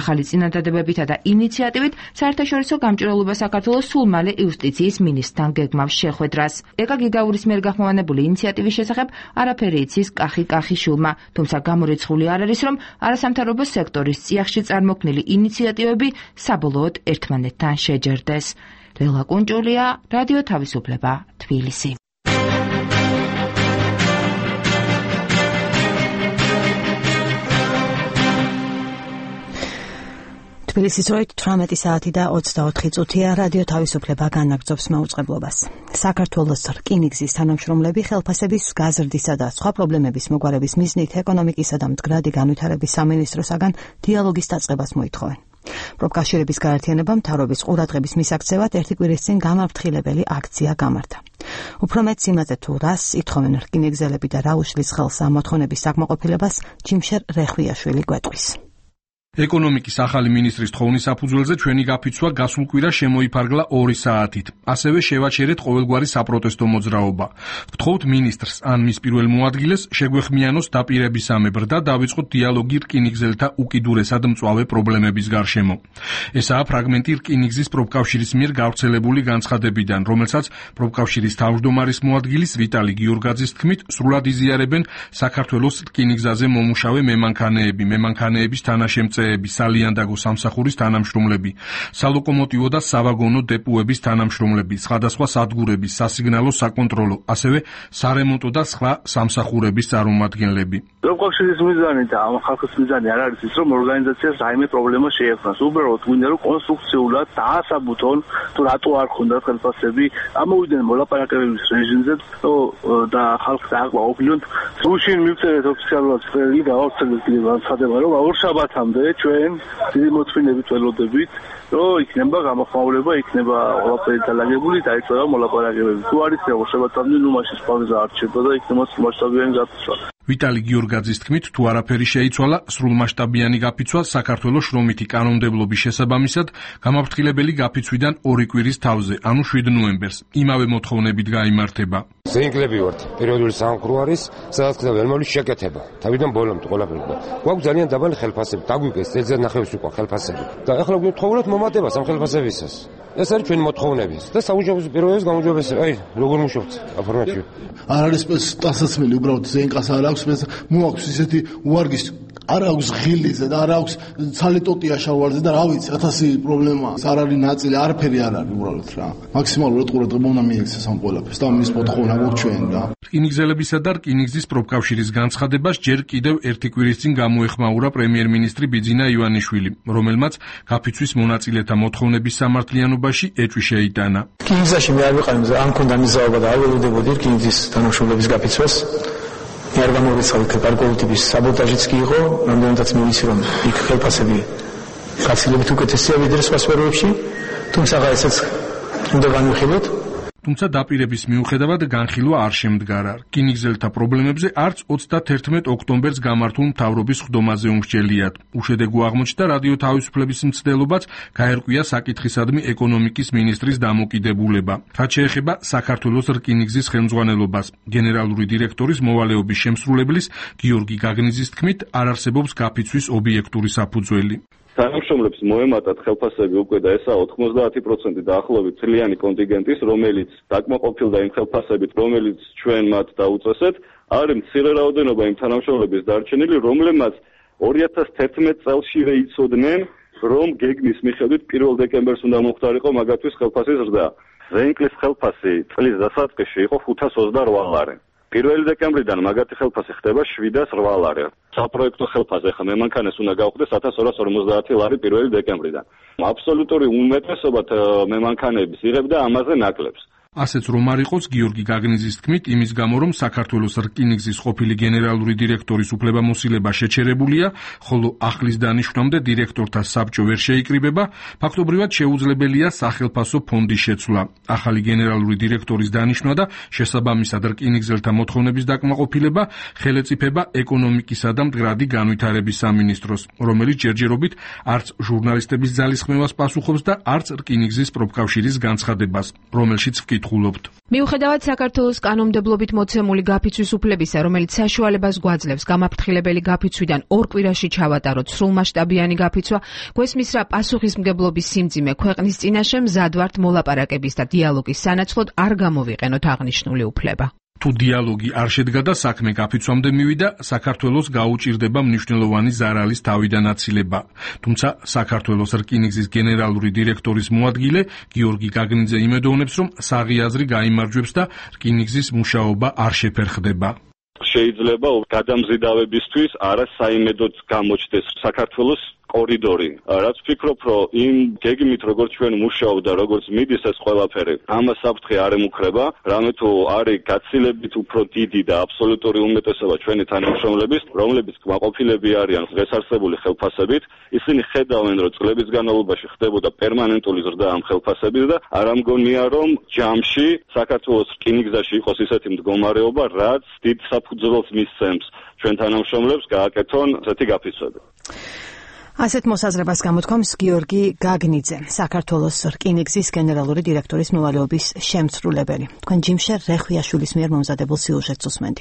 ახალი წინადადებებითა და ინიციატივით საერთაშორისო გამჭირვალობა საქართველოს სულ მალე იუსტიციის მინისტრთან გეგმავს შეხვედრას. ეკა გიგაურის მიერ გახმოვანებული ინიციატივის შესახებ არაფერი იცის კახი კახიშვილმა, თუმცა გამორიცხული არ არის, რომ არასამთავრობო სექტორის წიაღში წარმოქმნილი ინიციატივები საბოლოოდ ერთმანეთთან შეჯერდეს. ლელა კუნჯულია, რადიო თავისუფლება, თბილისი. თბილისის დროით 18 საათი და 24 წუთია. რადიო თავისუფლება განაგრძობს მაუწყებლობას. საქართველოს რკინიგზის თანამშრომლები ხელფასების გაზრდისა და სხვა პრობლემების მოგვარების მიზნით ეკონომიკისა და მდგრადი განვითარების სამინისტროსაგან დიალოგის დაწყებას მოითხოვენ. პროფკავშირების გაერთიანებამ მთავრობის ყურადღების მისაქცევად ერთი კვირის წინ გამაფრთხილებელი აქცია გამართა. უფრო მეტს იმაზე თუ რას ითხოვენ რკინიგზელები და რა უშლის ხელს ამ მოთხოვნების საკმაყოფილებას, ჯიმშერ რეხვიაშვილი გვეტყვის. ეკონომიკის ახალი მინისტრის თხოვნის საფუძველზე ჩვენი გაფიცვა გასულ კვირას შემოიფარგლა 2 საათით. ასევე შევაჩერეთ ყოველგვარი საპროტესტო მოძრაობა. ვთხოვთ მინისტრს ან მის პირველ მოადგილეს შეგვეხმიანოს დაპირებისამებრ და დავიწყოთ დიალოგი რკინიგზელთა უკიდურესად მწვავე პრობლემების გარშემო. ესაა ფრაგმენტი რკინიგზის პროფკავშირის მიერ გავრცელებული განცხადებიდან, რომელსაც პროფკავშირის თავმჯდომარის მოადგილის ვიტალი გიორგაძის თქმით, სრულად იზიარებენ საქართველოს რკინიგზაზე მომუშავე მემანქანეების თანაშემწეები, სალიანდაგო სამსახურის თანამშრომლები, სალოკომოტივო და სავაგონო დეპოების თანამშრომლები, სხვადასხვა სადგურების, სასიგნალო, საკონტროლო, ასევე სარემონტო და სხვა სამსახურების წარმომადგენლები. პროფკავშირის მიზანი და ამ ხალხის მიზანი არ არის ის, რომ ორგანიზაციას რაიმე პრობლემა შეექმნას. უბრალოდ გვინდა რომ კონსტრუქციულად დაასაბუთონ თუ რატო არ ქონდათ ხელფასები, ამოვიდნენ მოლაპარაკებების რეჟიმზე და ხალხს დააკვირდით. სულში მივწერეთ ოფიციალურად წერილი გავავრცელეთ კიდევ განცხადება, რომ ორშაბათამდე ჩვენ დიდი მოთმინებით ველოდებით, რომ იქნება გამოხმაურება, იქნება ყველაფერი დალაგებული, დაიწყება მოლაპარაკებები. თუ არის ორშაბათამდე, ნუ მაშინ პაუზა არ რჩება და იქნება მასშტაბიანი გაფიცვა. ვიტალი გიორგაძის თქმით, თუ არაფერი შეიცვალა, სრულმასშტაბიანი გაფიცვა საქართველოს შრომითი კანონმდებლობის შესაბამისად გამაფრთხილებელი გაფიცვიდან 2 კვირის თავზე, ანუ 7 ნოემბერს, იმავე მოთხოვნებით გაიმართება. ზენგლები ვართ, პერიოდული სამყარო არის, სადაც ხდება ველმოლის შეკეთება. თავიდან ბოლომდე ყველაფერი. გვაქვს ძალიან დაბალი ხელფასები, დაგვიგეს წელზე ნახევრის უკვე ხელფასები. და ახლა გვთხოვოთ მომატებას ამ ხელფასებისას. ეს არის ჩვენი მოთხოვნები და საუჯობესო პირობების გამოძიებაში, აი, როგორ მუშაობთ აფორმატში. არ არის სტასაცმელი, უბრალოდ ზენკას არ აქვს, მოაქვს ისეთი უარგის არ აქვს ღილიზე და არ აქვს ცალიტოტია შავარზე და რა ვიცი 1000 პრობლემაა. არ არის ნაწილი, არაფერი არ არის უბრალოდ რა. მაქსიმალურად ყურადღება უნდა მიექცეს ამ ყველაფერს და მის მოთხოვნა გვაქვს ჩვენ რა. რკინიგზელებისა და რკინიგზის პროფკავშირის განცხადებას ჯერ კიდევ 1 კვირის წინ გამოეხმაურა პრემიერ-მინისტრი ბიძინა ივანიშვილი, რომელმაც გაფიცვის მონაწილეთა მოთხოვნების სამართლიანობაში ეჭვი შეიტანა. რკინიგზაში მე არ ვიყავი, არ მქონდა მიზაობა და არ ველოდებოდი რკინიგზის თანამშრომლების გაფიცვას. მე არ გამოვიცხავი გარკვეული ტიპის საბოტაჟიც კი იყო, რამდენადაც მივიცი რომ იქ ხელფასები გაცილებით უკეთესია ვიდრე სხვა სფეროებში, თუმცა ესეც უნდა განვიხილოთ. თუმცა დაპირების მიუხედავად განხილვა არ შემდგარა. რკინიგზელთა პრობლემებზე არც 31 ოქტომბერს გამართულ მთავრობის ხდომაზე უმსჯელიათ. უშედეგო აღმოჩნდა რადიო თავისუფლების მცდელობაც გაერკვია საკითხისადმი ეკონომიკის მინისტრის დამოკიდებულება. რაც შეეხება საქართველოს რკინიგზის ხელმძღვანელობას, გენერალური დირექტორის მოვალეობის შემსრულებლის გიორგი გაგნიძის თქმით, არ არსებობს გაფიცვის ობიექტური საფუძველი. თანამშრომლებს მოემატათ ხელფასები უკვე და ესაა 90% დაახლოებით წლიანი კონტინგენტის, რომელიც დაკმაყოფილდა იმ ხელფასებით, რომელიც ჩვენ მათ დაუწესეთ, არის მცირე რაოდენობა იმ თანამშრომლების დარჩენილი, რომლებმაც 2011 წელშივე იცოდნენ, რომ გეგმის მიხედვით 1 დეკემბერს უნდა მოხდარიყო მაგათთვის ხელფასის ზრდა. ზენკლის ხელფასი წლის დასაწყისში იყო 528 ლარი. 1 დეკემბრიდან მაგათი ხელფასი ხდება 708 ლარი. საპროექტო ხელფასი ახლა მემანქანეს უნდა გავხდეს 1250 ლარი 1 დეკემბრიდან. აბსოლუტური უმეტესობა მემანქანების იღებდა ამაზე ნაკლებს. ასეც რომ არ იყოს, გიორგი გაგნიძის თქმით, იმის გამო რომ საქართველოს რკინიგზის ყოფილი გენერალური დირექტორის უფლებამოსილება შეჩერებულია, ხოლო ახლის დანიშვნამდე დირექტორთა საბჭო ვერ შეიკრიბება, ფაქტობრივად შეუძლებელია სახელფასო ფონდის შეცვლა. ახალი გენერალური დირექტორის დანიშვნა და შესაბამისად რკინიგზელთა მოთხოვნების დაკმაყოფილება ხელეწიფება ეკონომიკისა და მდგრადი განვითარების სამინისტროს, რომელიც ჯერჯერობით არც ჟურნალისტების ძალისხმევას პასუხობს და არც რკინიგზის პროფკავშირის განცხადებას, რომელშიც მიუხედავად საქართველოს კანონმდებლობით მოცემული გაფიცვის უფლებისა, რომელიც საშუალებას გვაძლევს გამაფრთხილებელი გაფიცვიდან 2 კვირაში ჩავატაროთ სრულმასშტაბიანი გაფიცვა, გვესმის რა პასუხისმგებლობის სიმძიმე ქვეყნის წინაშე მზად ვართ მოლაპარაკების და დიალოგის სანაცვლოდ არ გამოვიყენოთ აღნიშნული უფლება. თუ დიალოგი არ შედგა და საქმე გაფიცვამდე მივიდა, საქართველოს გაუჭირდება მნიშვნელოვანი ზარალის თავიდანაცილება. თუმცა საქართველოს რკინიგზის გენერალური დირექტორის მოადგილე გიორგი გაგნიძე იმედოვნებს, რომ საღი აზრი გაიმარჯვებს და რკინიგზის მუშაობა არ შეფერხდება. შეიძლება გადამზიდავებისთვის არა საიმედოდ გამოჩნდეს საქართველოს კორიდორი. რაც ვფიქრობ, რომ იმ გეგმით როგორც ჩვენ მუშაობ და როგორც მიდის ეს ყველაფერი, ამას საფრთხე არ ემუქრება, რამე თუ არის გაცილებით უფრო დიდი და აბსოლუტური უმეტესობა ჩვენი თანამშრომლების, რომლებიც კმაყოფილები არიან დღეს არსებული ხელფასებით, ისინი ხედავენ, რომ წლების განმავლობაში ხდებოდა პერმანენტული ზრდა ამ ხელფასების და არ ამგონია, რომ ჯამში საქართველოს რკინიგზაში იყოს ისეთი მდგომარეობა, რაც დიდ საფუძველს მისცემს ჩვენ თანამშრომლებს გააკეთონ ესეთი გაფიცვები. ასეთ მოსაზრებას გამოთქვამს გიორგი გაგნიძე, საქართველოს რკინიგზის გენერალური დირექტორის მოვალეობის შემცრულებელი. თქვენ ჯიმშე რეხვიაშვილის მიერ მომზადებულ სიუჟეტს უსმენთ.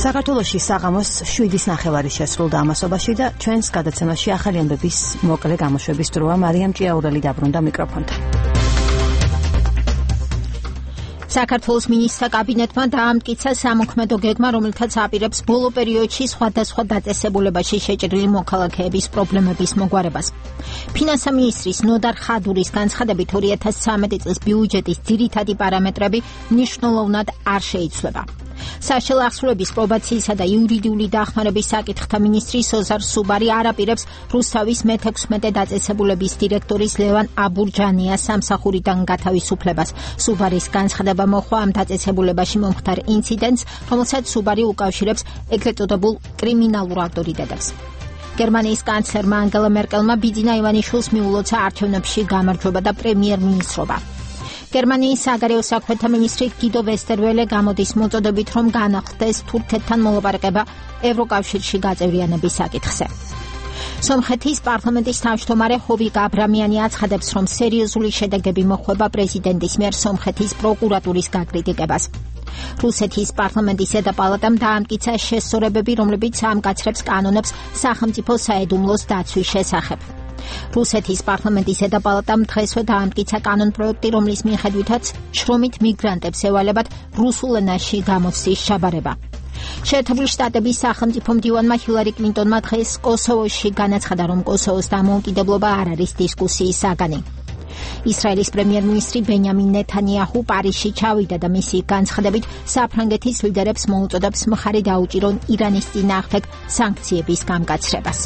საქართველოში საღამოს 7:09 შესრულდა ამასობაში და ჩვენს გადაცემაში ახალი ამბების მოკლე გამოშვების დროა. მარიამ ჭიაურელი დაბრუნდა მიკროფონთან. საქართველოს მინისტრთა კაბინეტმა დაამტკიცა სამოქმედო გეგმა, რომელთაც აპირებს ბოლო პერიოდში სხვადასხვა დაწესებულებაში შეჭრილი მოქალაქეების პრობლემების მოგვარებას. ფინანსთა მინისტრის ნოდარ ხადურის განცხადებით 2013 წლის ბიუჯეტის ძირითადი პარამეტრები მნიშვნელოვნად არ შეიცვლება. საშუალო ახსნების პრობაციისა და იურიდიული დახმარების საკითხთა მინისტრი სოზარ სუბარი არაპირებს რუსთავის მე-16 დაწესებულების დირექტორის ლევან აბურჯანიას სამსახურიდან გათავისუფლებას. სუბარის განცხადება მოხდა ამ დაწესებულებაში მომხდარ ინციდენტს, რომელსაც სუბარი უკავშირებს ეგრეთ წოდებულ კრიმინალურ ავტორიტეტებს. გერმანიის კანცლერმა ანგელა მერკელმა ბიძინა ივანიშვილს მიულოცა არჩევნებში გამარჯვება და პრემიერ-მინისტრობა. გერმანიის საგარეო საქმეთა მინისტრი გიდო ვესტერველე გამოდის მოწოდებით, რომ განახლდეს თურქეთთან მოლაპარაკება ევროკავშირში გაწევრიანების საკითხზე. სომხეთის პარლამენტის თავმჯდომარე ჰოვიკ აბრამიანი აცხადებს, რომ სერიოზული შედეგები მოჰყვება პრეზიდენტის მიერ სომხეთის პროკურატურის გაკრიტიკებას. რუსეთის პარლამენტის ზედაპალატამ დაამტკიცა შესწორებები, რომლებიც ამკაცრებს კანონებს სახელმწიფო საიდუმლოს დაცვის შესახებ. რუსეთის პარლამენტის ზედაპალატამ დღესვე დაამტკიცა კანონპროექტი, რომლის მიხედვითაც შრომით მიგრანტებს ევალებათ რუსულ ენაში გამოცდის ჩაბარება. შეერთებული შტატების სახელმწიფო მდივანმა ჰილარი კლინტონმა დღეს კოსოვოში განაცხადა, რომ კოსოვოს დამოუკიდებლობა არ არის დისკუსიის საგანი. ისრაელის პრემიერ-მინისტრი ბენიამინ ნეთანიაჰუ პარიზში ჩავიდა და მისი განცხადებით საფრანგეთის ლიდერებს მოუწოდებს მხარი დაუჭირონ ირანის წინააღმდეგ სანქციების გამკაცრებას.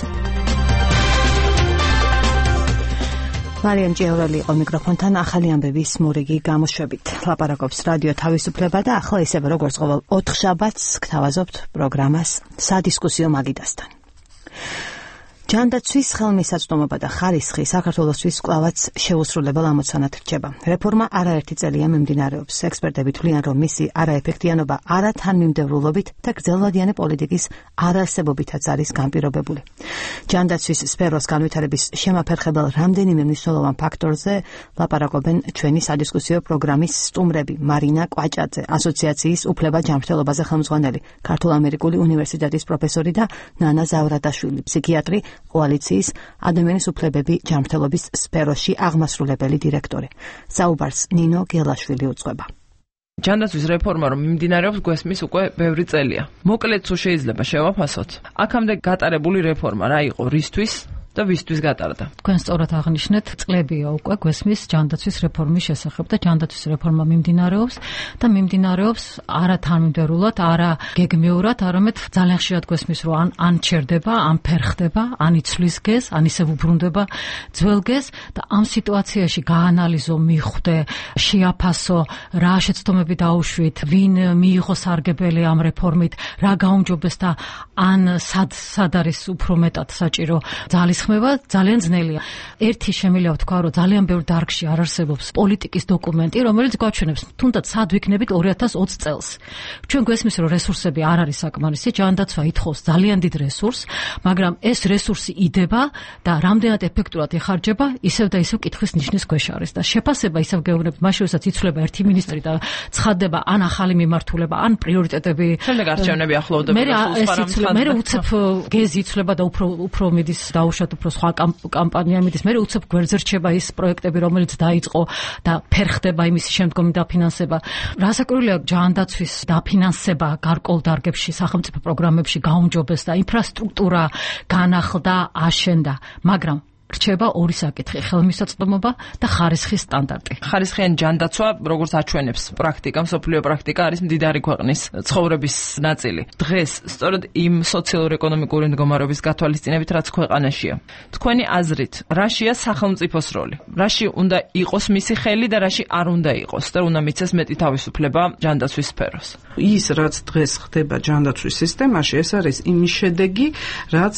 მარიამ ჭიაურელი იყო მიკროფონთან ახალი ამბების მორიგი გამოშვებით. ლაპარაკობს რადიო თავისუფლება და ახლა ისევე როგორც ყოველ 4 შაბათს გთავაზობთ პროგრამას სადისკუსიო მაგიდასთან. ჯანდაცვის ხელმისაწვდომობა და ხარისხი საქართველოსთვის კვლავაც შეუსრულებელ ამოცანად რჩება. რეფორმა არაერთი წელია მიმდინარეობს. ექსპერტები თვლიან, რომ მისი არაეფექტიანობა არათანმიმდევრულობით და გრძელვადიანი პოლიტიკის არარსებობითაც არის განპირობებული. ჯანდაცვის სფეროს განვითარების შემაფერხებელ რამდენიმე მნიშვნელოვან ფაქტორზე ლაპარაკობენ ჩვენი სადისკუსიო პროგრამის სტუმრები. მარინა კვაჭაძე, ასოციაციის უფლება ჯანმრთელობაზე ხელმძღვანელი, ქართულ-ამერიკული უნივერსიტეტის პროფესორი და ნანა ზავრადაშვილი, ფსიქიატრი, კოალიციის ადამიანის უფლებები ჯანმრთელობის სფეროში აღმასრულებელი დირექტორი. საუბარს ნინო გელაშვილი უძღვება. ჯანდაცვის რეფორმა რომ მიმდინარეობს გვესმის უკვე ბევრი წელია. მოკლედ თუ შეიძლება შევაფასოთ, აქამდე გატარებული რეფორმა რა იყო, რისთვის და ვისთვის გატარდა. თქვენ სწორად აღნიშნეთ, წლებია უკვე გვესმის ჯანდაცვის რეფორმის შესახებ და ჯანდაცვის რეფორმა მიმდინარეობს და მიმდინარეობს არა თანმიმდევრულად, არა გეგმიურად, არამედ ძალიან ხშირად გვესმის, რომ ან ჩერდება, ან ფერხდება, ან იცვლის გეზს, ან ისევ უბრუნდება ძველ გეზს და ამ სიტუაციაში გაანალიზო, მიხვდე, შეაფასო, რა შეცდომები დაუშვით, ვინ მიიღო სარგებელი ამ რეფორმით, რა გაუმჯობეს და ან სად არის უფრო მეტად საჭირო ხმება ძალიან ძნელია. ერთი შემიძლია ვთქვა, რომ ძალიან ბევრ დარგში არ არსებობს პოლიტიკის დოკუმენტი, რომელიც გვაჩვენებს, თუნდაც სად ვიქნებით 2020 წელს. ჩვენ გვესმის, რომ რესურსები არ არის საკმარისი, ჯანდაცვა ითხოვს ძალიან დიდ რესურსს, მაგრამ ეს რესურსი იდება და რამდენად ეფექტურად იხარჯება, ისევ და ისევ კითხვის ნიშნის ქვეშ არის და შეფასება ისევ გეუბნებით, მაშინ როდესაც იცვლება ერთი მინისტრი და ცხადდება ან ახალი მიმართულება, ან პრიორიტეტები. შემდეგ არჩევნები ახლოვდება. მე უცებ გეზი იცვლება და უფრო მიდის დაუშვათ უფრო სხვა კამპანია მიდის, მე უცებ გვერდზე რჩება ის პროექტები, რომელიც დაიწყო და ფერხდება იმის შემდგომი დაფინანსება. რასაკვირველია, ჯანდაცვის დაფინანსება გარკვეულ დარგებში, სახელმწიფო პროგრამებში გაუმჯობეს და ინფრასტრუქტურა განახლდა, აშენდა, მაგრამ რჩება ორი საკითხი: ხელმისაწვდომობა და ხარისხის სტანდარტი. ხარისხიანი ჯანდაცვა, როგორც აჩვენებს პრაქტიკა, მსოფლიო პრაქტიკა, არის მდიდარი ქვეყნის ცხოვრების ნაწილი. დღეს სწორედ იმ სოციალურ-ეკონომიკური მდგომარეობის გათვალისწინებით, რაც ქვეყანაშია. თქვენი აზრით, რაშია სახელმწიფოს როლი? რაში უნდა იყოს მისი ხელი და რაში არ უნდა იყოს და უნდა მიცეს მეტი თავისუფლება ჯანდაცვის სფეროს? ის, რაც დღეს ხდება ჯანდაცვის სისტემაში, ეს არის იმის შედეგი, რაც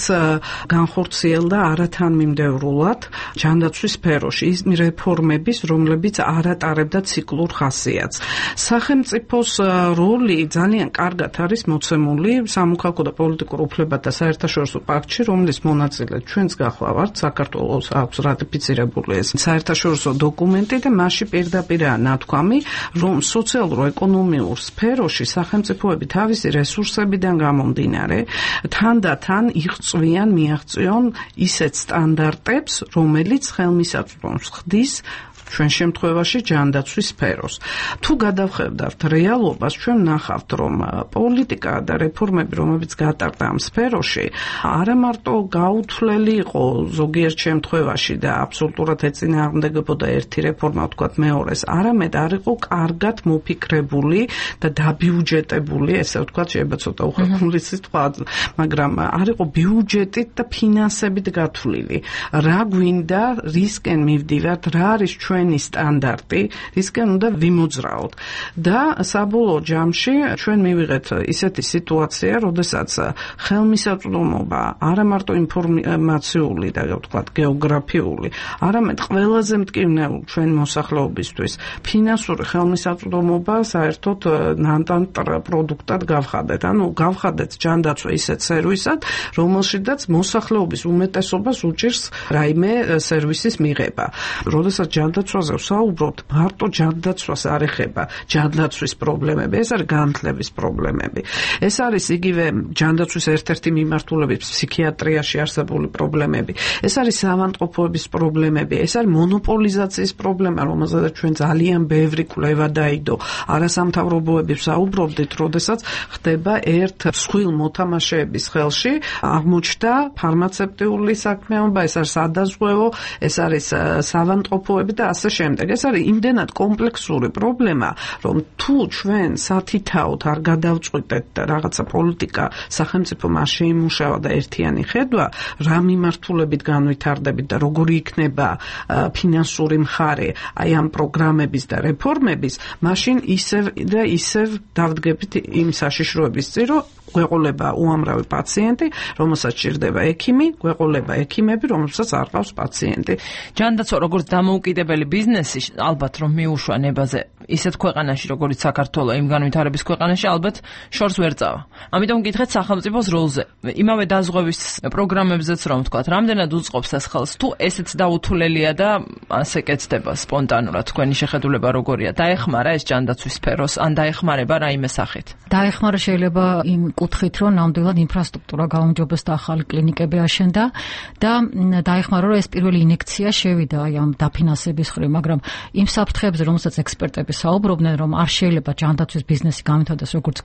განხორციელდა არათანმიმდევრულად აბსოლუტურად ჯანდაცვის სფეროში ის რეფორმების, რომლებიც არ ატარებდა ციკლურ ხასიათს. სახელმწიფოს როლი ძალიან კარგად არის მოცემული სამოქალაქო და პოლიტიკურ უფლებათა საერთაშორისო პაქტში, რომლის მონაწილე ჩვენც გახლავართ, საქართველოს აქვს რატიფიცირებული ეს საერთაშორისო დოკუმენტი და მასში პირდაპირაა ნათქვამი, რომ სოციალურ-ეკონომიურ სფეროში სახელმწიფოები თავისი რესურსებიდან გამომდინარე თანდათან მიაღწევენ ისეთ სტანდარტებს, რომელიც ხელმისაწვდომს ხდის ჩვენ შემთხვევაში ჯანდაცვის სფეროს. თუ გადავხედავთ რეალობას, ჩვენ ნახავთ, რომ პოლიტიკა და რეფორმები, რომლებიც გატარდა ამ სფეროში, არა მარტო გაუთვლელი იყო ზოგიერთ შემთხვევაში და აბსოლუტურად ეწინააღმდეგებოდა ერთი რეფორმა, ვთქვათ მეორეს, არამედ არ იყო კარგად მოფიქრებული და დაბიუჯეტებული, ესე ვთქვათ, შეიძლება ცოტა უხერხემლო სიტყვა, მაგრამ არ იყო ბიუჯეტით და ფინანსებით გათვლილი. რა გვინდა, რისკენ მივდივართ, რა არის ჩვენი სტანდარტი, რისკენ უნდა ვიმოძრაოთ. და საბოლოო ჯამში ჩვენ მივიღეთ ისეთი სიტუაცია, როდესაც ხელმისაწვდომობა არა მარტო ინფორმაციული და ვთქვათ გეოგრაფიული, არამედ ყველაზე მტკივნეულ ჩვენ მოსახლეობისთვის ფინანსური ხელმისაწვდომობა საერთოდ ნანტან პროდუქტად გავხადეთ. ანუ გავხადეთ ჯანდაცვა ისეთ სერვისად, რომელშიც მოსახლეობის უმეტესობას უჭირს რაიმე სერვისის მიღება. როდესაც ჯანდაცვაზე ვსაუბრობთ, მარტო ჯანდაცვას არ ეხება ჯანდაცვის პრობლემები, ეს არის განათლების პრობლემები. ეს არის იგივე ჯანდაცვის ერთ-ერთი მიმართულების ფსიქიატრიაში არსებული პრობლემები. ეს არის საავადმყოფოების პრობლემები, ეს არის მონოპოლიზაციის პრობლემა, რომელზედაც ჩვენ ძალიან ბევრი კვლევა დაიდო. არასამთავრობოები ვსაუბრობდით, როდესაც ხდება ერთ მსხვილ მოთამაშეების ხელში აღმოჩნდა ფარმაცევტიული საქმიანობა, ეს არის სადაზღვევო, ეს არის საავადმყოფოები და ასე შემდეგ. ეს არის იმდენად კომპლექსური პრობლემა, რომ თუ ჩვენ სათითაოდ არ გადავწყვიტეთ და რაღაცა პოლიტიკა სახელმწიფო მას შეიმუშავა და ერთიანი ხედვა, რა მიმართულებით განვითარდებით და როგორი იქნება ფინანსური მხარე აი ამ პროგრამების და რეფორმების, მაშინ ისევ და ისევ დავდგებით იმ საშიშროების წინ, რომ გვეყოლება უამრავი პაციენტი, რომელსაც ჭირდება ექიმი, გვეყოლება ექიმები, რომელსაც არ ყავს პაციენტი. ჯანდაცვა როგორც დამოუკიდებელი ბიზნესი, ალბათ რომ მიუშვა ნებაზე ისეთ ქვეყანაში, როგორც საქართველო, იმ განვითარების ქვეყანაში, ალბათ შორს ვერ წავა. ამიტომ გითხეთ სახელმწიფოს როლზე. იმავე დაზღვევის პროგრამებზეც რომ ვთქვათ, რამდენად უწყობს ეს ხელს, თუ ესეც დაუთვლელია და ასე კეთდება სპონტანურად, თქვენი შეხედულება როგორია? დაეხმარა ეს ჯანდაცვის სფეროს, ან დაეხმარება რაიმე სახით? დაეხმარა შეიძლება იმ კუთხით, რომ ნამდვილად ინფრასტრუქტურა გაუმჯობეს და ახალი კლინიკები აშენდა და დაეხმარა, რომ ეს პირველი ინექცია შევიდა აი ამ დაფინანსების ხრი, მაგრამ იმ საფრთხეებზე, რომელსაც ექსპერტები საუბრობდნენ, რომ არ შეიძლება ჯანდაცვის ბიზნესი გამართოს როგორც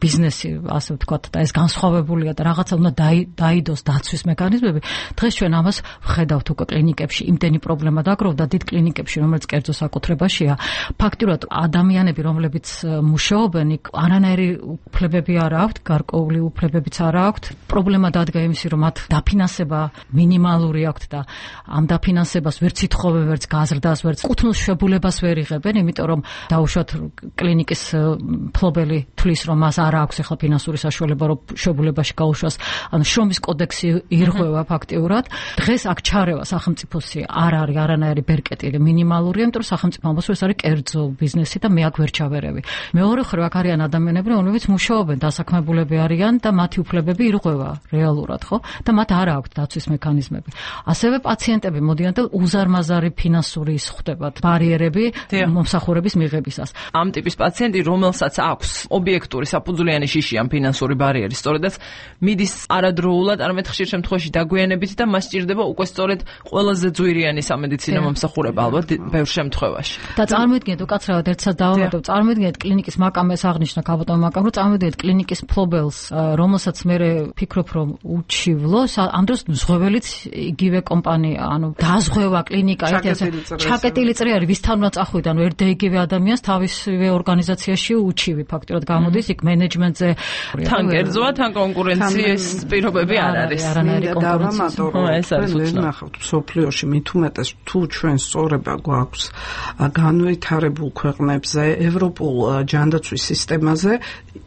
ბიზნესი, ასე ვთქვათ, და ეს განსხვავებულია და რაღაცა უნდა დაიდოს დაცვის მექანიზმები. დღეს ჩვენ ამას ვხედავთ უკვე კლინიკებში, იმდენი პრობლემა დაგროვდა დიდ კლინიკებში, რომელიც კერძო საკუთრებაშია. ფაქტურად ადამიანები, რომლებიც მუშაობენ, იქ არანაირი უფლებები არ აქვთ, გარკვეული უფლებებიც არ აქვთ. პრობლემა დადგა იმისი, რომ მათ დაფინანსება მინიმალური აქვთ და ამ დაფინანსებას ვერც ითხოვენ, ვერც გაზრდას, ვერც კუთვნილ შვებულებას ვერ იღებენ, იმიტომ რომ დაუშვათ კლინიკის მფლობელი თვლის, რომ მას არ აქვს ახლა ფინანსური საშუალება, რომ შვებულებაში გაუშვას. ანუ შრომის კოდექსი ირღვევა ფაქტიურად. დღეს აქ ჩარევა სახელმწიფოსი არ არის არანაირი ბერკეტი მინიმალური, იმიტომ რომ სახელმწიფო ამბობს, რომ ეს არის კერძო ბიზნესი და მე აქ ვერ ჩავერევი. მეორე მხრივ აქ არიან ადამიანები, რომლებიც მუშაობენ, დასაქმებულები არიან და მათი უფლებები ირღვევა რეალურად, ხო? და მათ არ აქვთ დაცვის მექანიზმები. ასევე პაციენტები მოდიან და უზარმაზარი ფინანსური ის ხვდებათ ბარიერები მომსახურების მიღებისას. ამ ტიპის პაციენტი, რომელსაც აქვს ობიექტური საფუძვლიანი შიში ამ ფინანსური ბარიერი, სწორედაც მიდის არადროულად, არამედ ხშირ შემთხვევაში დაგვიანებით და მას სჭირდება უკვე სწორედ ყველაზე ძვირიანი სამედიცინო მომსახურება ალბათ ბევრ შემთხვევაში. და წარმოიდგინეთ, უკაცრავად ერთსაც დავამატებ, წარმოიდგინეთ კლინიკის მაკამეს აღნიშნა კაბოტონ მაკამ, რომ წარმოიდგინეთ კლინიკის მფლობელს, რომელსაც მე ფიქრობ, რომ უჩივლოს, ამ დროს ზღვეველიც იგივე კომპანია, ანუ დაზღვევა კლინიკა, ჩაკეტილი წრე არის, ვისთან უნდა წახვიდე, ანუ ერთ და იგივე ადამიანს თავისივე ორგანიზაციაში უჩივი ფაქტურად გამოდის, იქ მენეჯმენტზე თან კერძოა, თან კონკურენციის პირობები არ არის. არანაირი კონკურენცია. ეს არის უცნაური. სოფლიოში მით უმეტეს თუ ჩვენ სწორება გვაქვს განვითარებულ ქვეყნებზე, ევროპულ ჯანდაცვის სისტემაზე,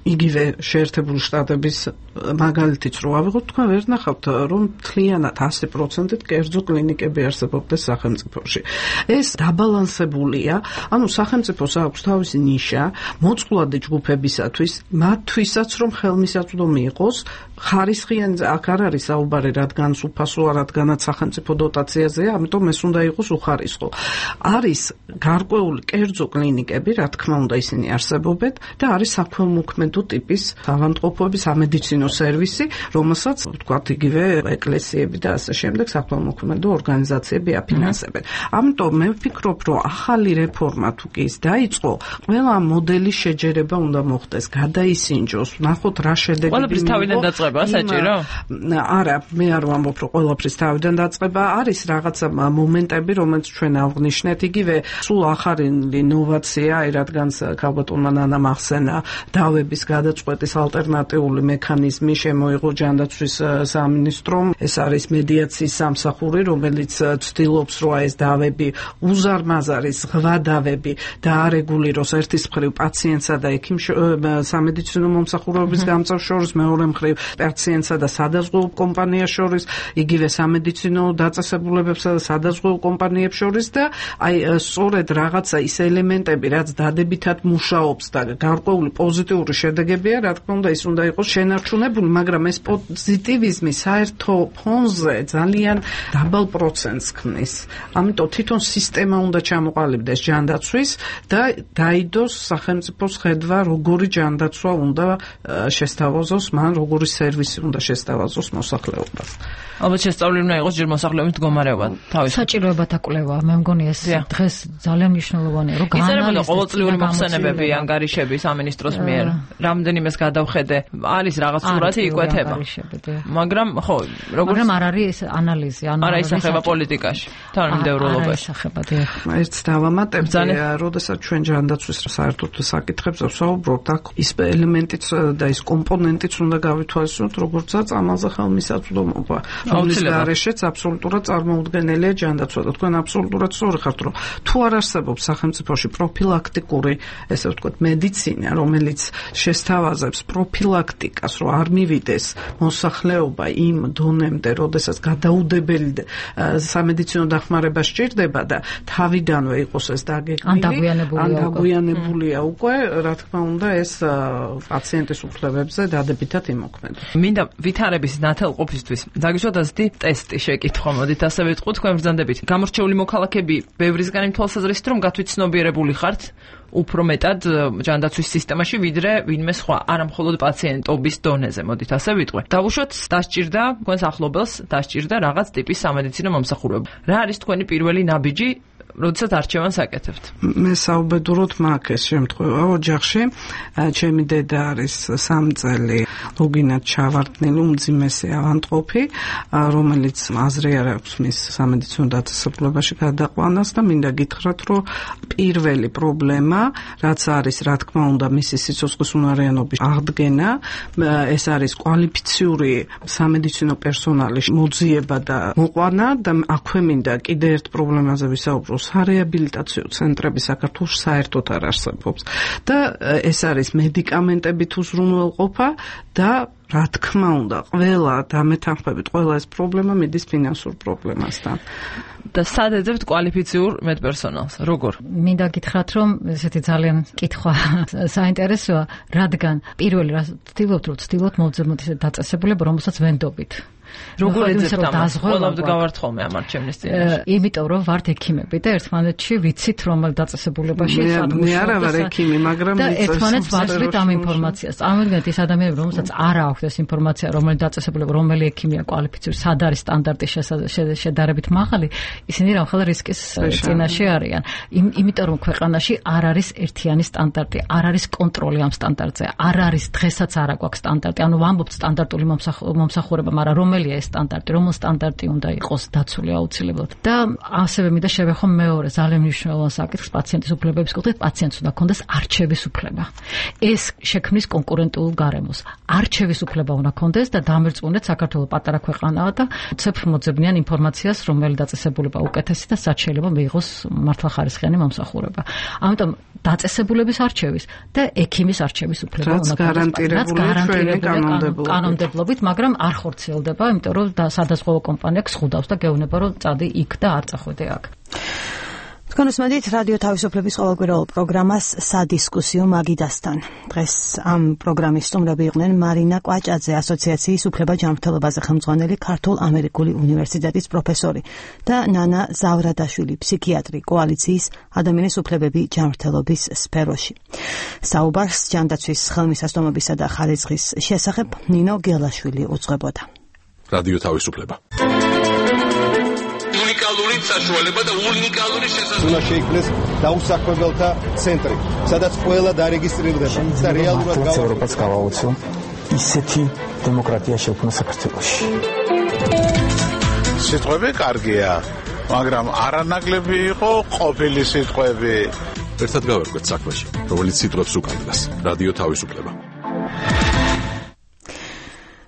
იგივე შეერთებულ შეერთებული შტატების მაგალითიც რო ავიღოთ, თქვენ ვერ ნახავთ, რომ მთლიანად 100%-ით კერძო კლინიკები არსებობდეს სახელმწიფოში. ეს დაბალანსებულია, ანუ სახელმწიფოს აქვს თავისი ნიშა მოწყვლადი ჯგუფებისათვის, მათთვისაც რომ ხელმისაწვდომი იყოს, ხარისხიანი აქ არ არის საუბარი, რადგან უფასოა, რადგანაც სახელმწიფო დოტაციაზეა, ამიტომ ეს უნდა იყოს უხარისხო. არის გარკვეული კერძო კლინიკები, რა თქმა უნდა, ისინი არსებობენ და არის საქველმოქმედო ტიპის ავადმყოფობის სამედიცინო სერვისი, რომელსაც ვთქვათ იგივე ეკლესიები და ასე შემდეგ საქველმოქმედო ორგანიზაციები აფინანსებენ. ამიტომ მე ვფიქრობ, რომ ახალი რეფორმა თუ კი ის დაიწყო, ყველა მოდელის შეჯერება უნდა მოხდეს, გადაისინჯოს, ნახოთ რა შედეგები მიიღო. ყველაფრის თავიდან დაწყება საჭირო? არა, მე არ ვამბობ, რომ ყველაფრის თავიდან დაწყება, არის რაღაცა მომენტები, რომელიც ჩვენ ავღნიშნეთ, იგივე სულ ახალი ინოვაცია, რადგან ქალბატონმა ნანამ ახსენა დავების გადაწყვეტის ალტერნატიული მექანიზმი შემოიღო ჯანდაცვის სამინისტრომ. ეს არის მედიაციის სამსახური, რომელიც ცდილობს, რომ ეს დავები უზარმაზარი ზღვა დავები დაარეგულიროს ერთის მხრივ პაციენტსა და სამედიცინო მომსახურების გამწევ შორის, მეორე მხრივ პაციენტსა და სადაზღვეულ კომპანიას შორის, იგივე სამედიცინო დაწესებულებებსა და სადაზღვეულ კომპანიებს შორის და აი სწორედ რაღაცა ის ელემენტები, რაც დადებითად მუშაობს და გარკვეული პოზიტიური შედეგებია, რა თქმა უნდა, ის უნდა იყოს შენარჩუნებული, მაგრამ ეს პოზიტივიზმი საერთო ფონზე ძალიან დაბალ პროცენტს ქმნის. ამიტომ თვითონ სისტემა უნდა ჩამოყალიბდეს ჯანდაცვის და დაიდოს სახელმწიფოს ხედვა, როგორი ჯანდაცვა უნდა შესთავაზოს, მან როგორი სერვისი უნდა შესთავაზოს მოსახლეობას. ალბათ შესწავლილი უნდა იყოს ჯერ მოსახლეობის მდგომარეობა. საჭიროებათა კვლევა, მე მგონი ეს დღეს ძალიან მნიშვნელოვანია, რომ გაანალიზდეს ყოველწლიური მოხსენებები ანგარიშები სამინისტროს მიერ. რამდენიმეს გადავხედე, არის რაღაც სურათი იკვეთება. მაგრამ ხო, მაგრამ არ არის ეს ანალიზი, არა ისახება პოლიტიკაში, თანამდებობობაში. ერთ დავამატებ, როდესაც ჩვენ ჯანდაცვის საერთოდ საკითხებს ვსაუბრობთ, აქ ის ელემენტიც და ის კომპონენტიც უნდა გავითვალისწინოთ, როგორცაც ამაზე ხელმისაწვდომობა. რომლის გარეშეც აბსოლუტურად წარმოუდგენელია ჯანდაცვა და თქვენ აბსოლუტურად სწორი ხართ, რომ თუ არ არსებობს სახელმწიფოში პროფილაქტიკური, ესე ვთქვათ, მედიცინა, რომელიც შესთავაზებს პროფილაქტიკას, რომ არ მივიდეს მოსახლეობა იმ დონემდე, როდესაც გადაუდებელი სამედიცინო დახმარება სჭირდება და თავიდანვე იყოს ეს დაგეგმილი, ან დაგვიანებულია უკვე, რა თქმა უნდა, ეს პაციენტის უფლებებზე დადებითად იმოქმედებს. მინდა ვითარების ნათელყოფისთვის დაგიშვათ ასეთი ტესტი შეკითხვა, მოდით ასე ვიტყვი, თქვენ ბრძანდებით. გამორჩეული მოქალაქეები ბევრისგან იმ თვალსაზრისით, რომ გათვითცნობიერებული ხართ უფრო მეტად ჯანდაცვის სისტემაში, ვიდრე ვინმე სხვა, არა მხოლოდ პაციენტობის დონეზე, მოდით ასე ვიტყვი. დავუშვათ, დასჭირდა თქვენს ახლობელს, დასჭირდა რაღაც ტიპის სამედიცინო მომსახურება. რა არის თქვენი პირველი ნაბიჯი, როდესაც არჩევანს აკეთებთ? მე საუბედუროდ მაქვს ეს შემთხვევა ოჯახში. ჩემი დედა არის 3 წელი ლოგინად ჩავარდნილი უმძიმესი ავადმყოფი, რომელიც აზრი არ აქვს მის სამედიცინო დაწესებულებაში გადაყვანას და მინდა გითხრათ, რომ პირველი პრობლემა, რაც არის, რა თქმა უნდა, მისი სიცოცხლის უნარიანობის აღდგენა, ეს არის კვალიფიციური სამედიცინო პერსონალის მოძიება და მოყვანა და აქვე მინდა კიდე ერთ პრობლემაზე ვისაუბრო. სარეაბილიტაციო ცენტრები საქართველოს საერთოდ არ არსებობს და ეს არის მედიკამენტებით უზრუნველყოფა და რა თქმა უნდა, ყველა დამეთანხმებით, ყველა ეს პრობლემა მიდის ფინანსურ პრობლემასთან. და სად ეძებთ კვალიფიციურ მედპერსონალს? როგორ? მინდა გითხრათ, რომ ესეთი ძალიან კითხვა საინტერესოა, რადგან პირველი რა ვცდილობთ მოვძებნოთ ესეთ დაწესებულება, რომელსაც ვენდობით. როგორ ეძებთ ამას? ყველაფერს გავართ ხოლმე ამ არჩევნის წინაშე. იმიტომ რომ ვართ ექიმები და ერთმანეთში ვიცით რომელ დაწესებულებაში სად მე არა ვარ ექიმი, მაგრამ და ერთმანეთს ვაძლევთ ამ ინფორმაციას. წარმოიდგინეთ ის ადამიანები, რომელსაც არ აქვს ეს ინფორმაცია, რომელი დაწესებულება, რომელი ექიმია კვალიფიციური, სად არის სტანდარტი შედარებით მაღალი, ისინი რამხელა რისკის წინაშე არიან. იმიტომ რომ ქვეყანაში არ არის ერთიანი სტანდარტი, არ არის კონტროლი ამ სტანდარტზე, არ არის დღესაც არ აქვს სტანდარტი. ანუ ვამბობთ სტანდარტული მომსახურება, მაგრამ რომელი ეს სტანდარტი, რომელ სტანდარტი უნდა იყოს დაცული აუცილებლად. და ასევე მინდა შევეხო მეორე ძალიან მნიშვნელოვან საკითხს პაციენტის უფლებების კუთხით, პაციენტს უნდა ჰქონდეს არჩევის უფლება. ეს შექმნის კონკურენტულ გარემოს. არჩევის უფლება უნდა კონდეს და დამერწმუნდეთ საქართველოს პატარა ქვეყანაა და ცეფ მოძებნიან ინფორმაციას, რომელი დაწესებულება უკეთესი და სად შეიძლება მიიღოს მართლახარისხიანი მომსახურება. ამიტომ დაწესებულების არჩევის და ექიმის არჩევის უფლება უნდა გარანტირებული კანონმდებლობით, მაგრამ არ ხორციელდება, იმიტომ რომ სადაზღვევო კომპანია ხუდავს და გეუბნება რომ წადი იქ და არ წახვიდე აქ. თქვენ უსმენთ რადიო თავისუფლების ყოველკვირეულ პროგრამას სადისკუსიო მაგიდასთან. დღეს ამ პროგრამის სტუმრები იყვნენ მარინა კვაჭაძე, ასოციაციის უფლება-ჯანმრთელობაზე ხელმძღვანელი ქართულ-ამერიკული უნივერსიტეტის პროფესორი და ნანა ზავრადაშვილი, ფსიქიატრი, კოალიციის ადამიანის უფლებები ჯანმრთელობის სფეროში. საუბარს ჯანდაცვის ხელმისაწვდომობისა და ხარისხის შესახებ ნინო გელაშვილი უძღვებოდა. რადიო თავისუფლება. უნიკალური საშუალება და უნიკალური შესაძლებლობა. უნდა შეიქმნეს დაუსაქმებელთა ცენტრი, სადაც ყველა დარეგისტრირდება და რეალურად ევროპაც გავაუწო ისეთი დემოკრატია შექმნა საქართველოში. სიტყვები კარგია, მაგრამ არანაკლები იყო ყოფილი სიტყვები. ერთად გავერკვეთ საქმეში, რომელიც სიტყვებს უკანდეს. რადიო თავისუფლება.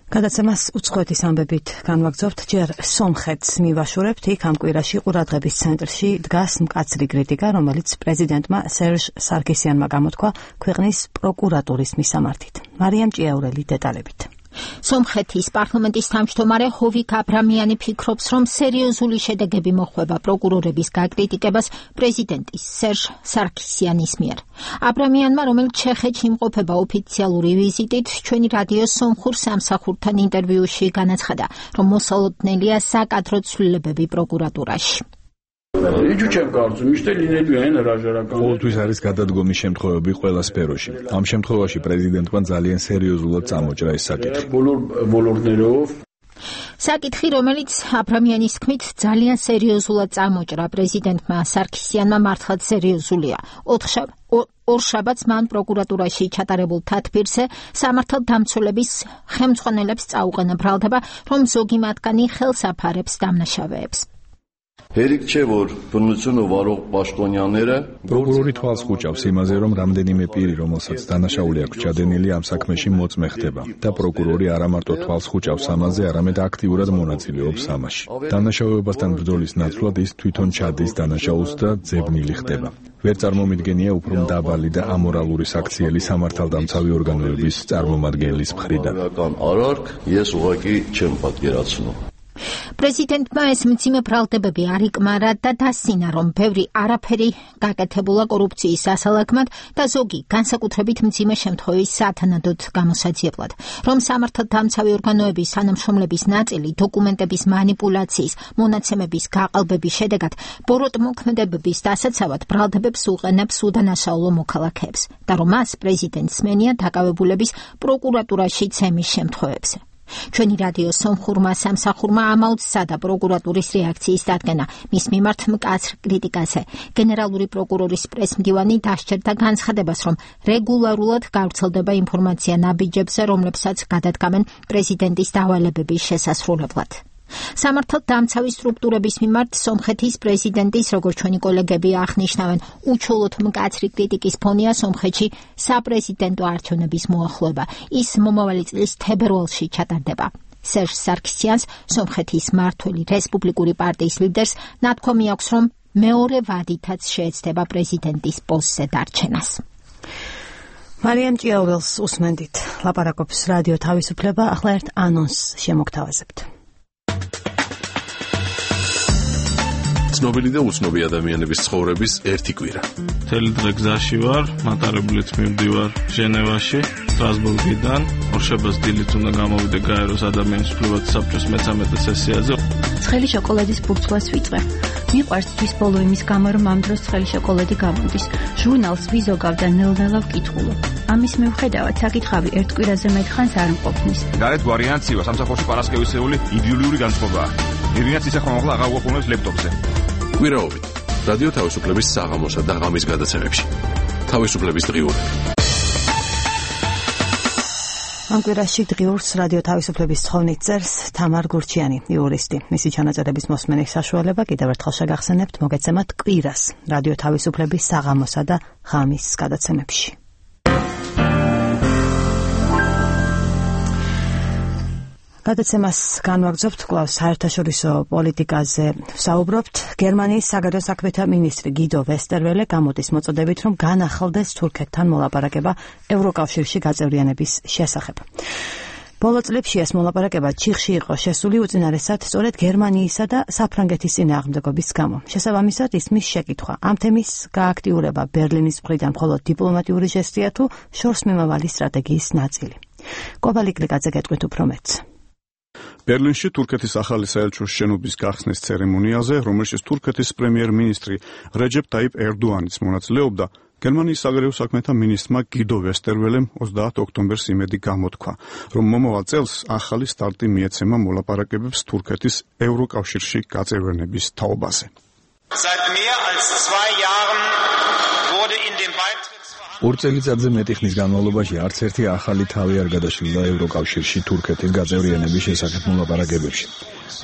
გადაცემას უცხოეთის ამბებით განვაგრძობთ. ჯერ სომხეთს მივაშურებთ. იქ ამ კვირაში ყურადღების ცენტრში დგას მკაცრი კრიტიკა, რომელიც პრეზიდენტმა სერჟ სარქისიანმა გამოთქვა ქვეყნის პროკურატურის მისამართით. მარიამ ჭიაურელი დეტალებით. სომხეთის პარლამენტის თავმჯდომარე ჰოვიკ აბრამიანი ფიქრობს, რომ სერიოზული შედეგები მოხვება პროკურორების გაკრიტიკებას პრეზიდენტის სერჟ სარქისიანის მიერ. აბრამიანმა, რომელიც ჩეხეთში იმყოფება ოფიციალური ვიზიტით, ჩვენი რადიო სომხურ სამსახურთან ინტერვიუში განაცხადა, რომ მოსალოდნელია საკადრო ცვლილებები პროკურატურაში. ყოველთვის არის გადადგომის შემთხვევები ყველა სფეროში. ამ შემთხვევაში პრეზიდენტმა ძალიან სერიოზულად წამოჭრა ეს საკითხი. საკითხი, რომელიც აბრამიანის თქმით ძალიან სერიოზულად წამოჭრა პრეზიდენტმა სარქისიანმა, მართლაც სერიოზულია. ორშაბათს მან პროკურატურაში ჩატარებულ თათბირზე სამართალდამცველების ხელმძღვანელებს წაუყენა ბრალდება, რომ ზოგი მათგანი ხელს აფარებს დამნაშავეებს. პროკურორი თვალს ხუჭავს იმაზე, რომ რამდენიმე პირი, რომელსაც დანაშაული აქვს ჩადენილი, ამ საქმეში მოწმე ხდება და პროკურორი არა მარტო თვალს ხუჭავს ამაზე, არამედ აქტიურად მონაწილეობს ამაში. დანაშაუებასთან ბრძოლის ნაცვლად ის თვითონ ჩადის დანაშაულს და ძებნილი ხდება. ვერ წარმომიდგენია უფრო მდაბალი და ამორალური საქციელი სამართალდამცავი ორგანოების წარმომადგენლის მხრიდან. პრეზიდენტმა ეს მძიმე ბრალდებები არ იკმარა და დასცინა, რომ ბევრი არაფერი გაკეთებულა კორუფციის ასალაგმად და ზოგი განსაკუთრებით მძიმე შემთხვევის სათანადოდ გამოსაძიებლად, რომ სამართალდამცავი ორგანოების თანამშრომლების ნაწილი დოკუმენტების манипуляციის, მონაცემების გაყალბების შედეგად ბოროტმოქმედებების დასაცავად ბრალდებებს უყენებს უდანაშაულო მოქალაქეებს და რომ მას პრეზიდენტს მენია დაკავებულების პროკურატურაში ცემის შემთხვევებზე. ჩვენი რადიო სომხურმა სამსახურმა ამაოდ სცადა პროკურატურის რეაქციის დადგენა მის მიმართ მკაცრ კრიტიკაზე. გენერალური პროკურორის პრესმდივანი დასჯერდა განცხადებას, რომ რეგულარულად გავრცელდება ინფორმაცია ნაბიჯებზე, რომლებსაც გადადგამენ პრეზიდენტის დავალებების შესასრულებლად. სამართალდამცავი სტრუქტურების მიმართ სომხეთის პრეზიდენტის, როგორც ჩვენი კოლეგები აღნიშნავენ, უჩვეულოდ მკაცრი კრიტიკის ფონია სომხეთში საპრეზიდენტო არჩევნების მოახლოება. ის მომავალი წლის თებერვალში ჩატარდება. სერჟ სარქისიანს, სომხეთის მმართველი რესპუბლიკური პარტიის ლიდერს, ნათქვამი აქვს, რომ მეორე ვადითაც შეეცდება პრეზიდენტის პოსტზე დარჩენას. მარიამ ჭიაურელს უსმენდით. ლაპარაკობს რადიო თავისუფლება. ახლა ერთ ანონსს შემოგთავაზებთ. ცნობილი და უცნობი ადამიანების ცხოვრების ერთი კვირა. მთელი დღე გზაში ვარ, მატარებლით მივდივარ ჟენევაში, სტრასბურგიდან. ორშაბათს დილით უნდა გამოვიდე გაეროს ადამიანის უფლებათა საბჭოს მე-13 სესიაზე. ცხელი შოკოლადის ბურცვას ვიწვე. მიყვარს თვის ბოლო იმის გამო, რომ ამ დროს ცხელი შოკოლადი გამოდის. ჟურნალს ვიზოგავ და ნელ-ნელა ვკითხულობ. ამის მიუხედავად საკითხავი ერთ კვირაზე მეტხანს არ მყოფნის. გარეთ ვარიანცივა სამსახურში პარასკევისეული იდეოლიური განწყობაა. ირინაც ისე ხომაღლა აღარ გვაყოლებს ლეპტოპზე. კვირაობით რადიო თავისუფლების საღამოსა და ღამის გადაცემებში. თავისუფლების დღიურები. ამ კვირაში დღიურს რადიო თავისუფლების თხოვნით წერს თამარ გურჩიანი, იურისტი. მისი ჩანაწერების მოსმენის საშუალება კიდევ ერთხელ შეგახსენებთ მოგეცემათ კვირას რადიო თავისუფლების საღამოსა და ღამის გადაცემებში. გადაცემას განვაგრძობთ კვლავ საერთაშორისო პოლიტიკაზე. ვსაუბრობთ გერმანიის საგარეო საქმეთა მინისტრი გიდო ვესტერველე გამოდის მოწოდებით, რომ განახლდეს თურქეთთან მოლაპარაკება ევროკავშირში გაწევრიანების შესახებ. ბოლო წლებში ეს მოლაპარაკება ჩიხში იყო შესული უწინარესად სწორედ გერმანიისა და საფრანგეთის წინააღმდეგობის გამო. შესაბამისად ისმის შეკითხვა ამ თემის გააქტიურება ბერლინის მხრიდან მხოლოდ დიპლომატიური ჟესტია თუ შორს მიმავალი სტრატეგიის ნაწილი. კობალი კლიკაძე გეტყვით უფრო მეტს. ბერლინში თურქეთის ახალი საელჩოს შენობის გახსნის ცერემონიაზე, რომელშიც თურქეთის პრემიერ-მინისტრი რეჯეპ ტაიპ ერდოანიც მონაწილეობდა, გერმანიის საგარეო საქმეთა მინისტრმა გიდო ვესტერველემ 30 ოქტომბერს იმედი გამოთქვა, რომ მომავალ წელს ახალი სტარტი მიეცემა მოლაპარაკებებს თურქეთის ევროკავშირში გაწევრიანების თაობაზე. ორ წელიწადზე მეტი ხნის განმავლობაში არც ერთი ახალი თავი არ გადაშლიდა ევროკავშირში თურქეთის გაწევრიანების შესახებ მოლაპარაკებებში.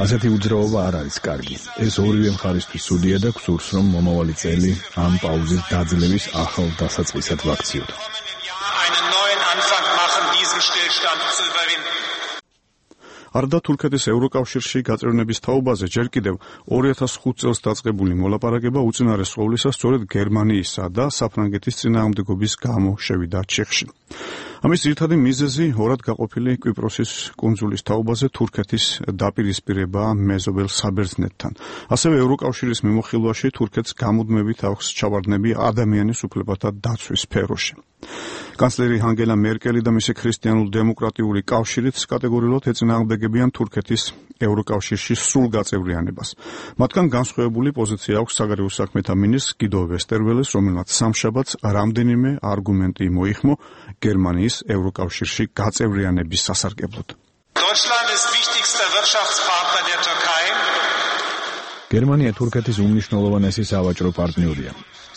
ასეთი უძრაობა არ არის კარგი. ეს ორივე მხარისთვის ცუდია და გსურს, რომ მომავალი წელი ამ პაუზის დაძლევის ახალ დასაწყისად ვაქციოთ. არდა თურქეთის ევროკავშირში გაწევრიანების თაობაზე ჯერ კიდევ 2005 წელს დაწყებული მოლაპარაკება უწინარეს ყოვლისა სწორედ გერმანიისა და საფრანგეთის წინააღმდეგობის გამო შევიდა ჩიხში. ამის ძირითადი მიზეზი ორად გაყოფილი კვიპროსის კუნძულის თაობაზე თურქეთის დაპირისპირება მეზობელ საბერძნეთთან. ასევე ევროკავშირის მიმოხილვაში თურქეთს გამუდმებით აქვს ჩავარდნები ადამიანის უფლებათა დაცვის სფეროში. კანცლერი ანგელა მერკელი და მისი ქრისტიანულ-დემოკრატიული კავშირიც კატეგორიულად ეწინააღმდეგებიან თურქეთის ევროკავშირში სრულ გაწევრიანებას. მათგან განსხვავებული პოზიცია აქვს საგარეო საქმეთა მინისტრ გიდო ვესტერველეს, რომელმაც სამშაბათს რამდენიმე არგუმენტი მოიხმო გერმანიის ევროკავშირში გაწევრიანების სასარგებლოდ. გერმანია თურქეთის უმნიშვნელოვანესი სავაჭრო პარტნიორია.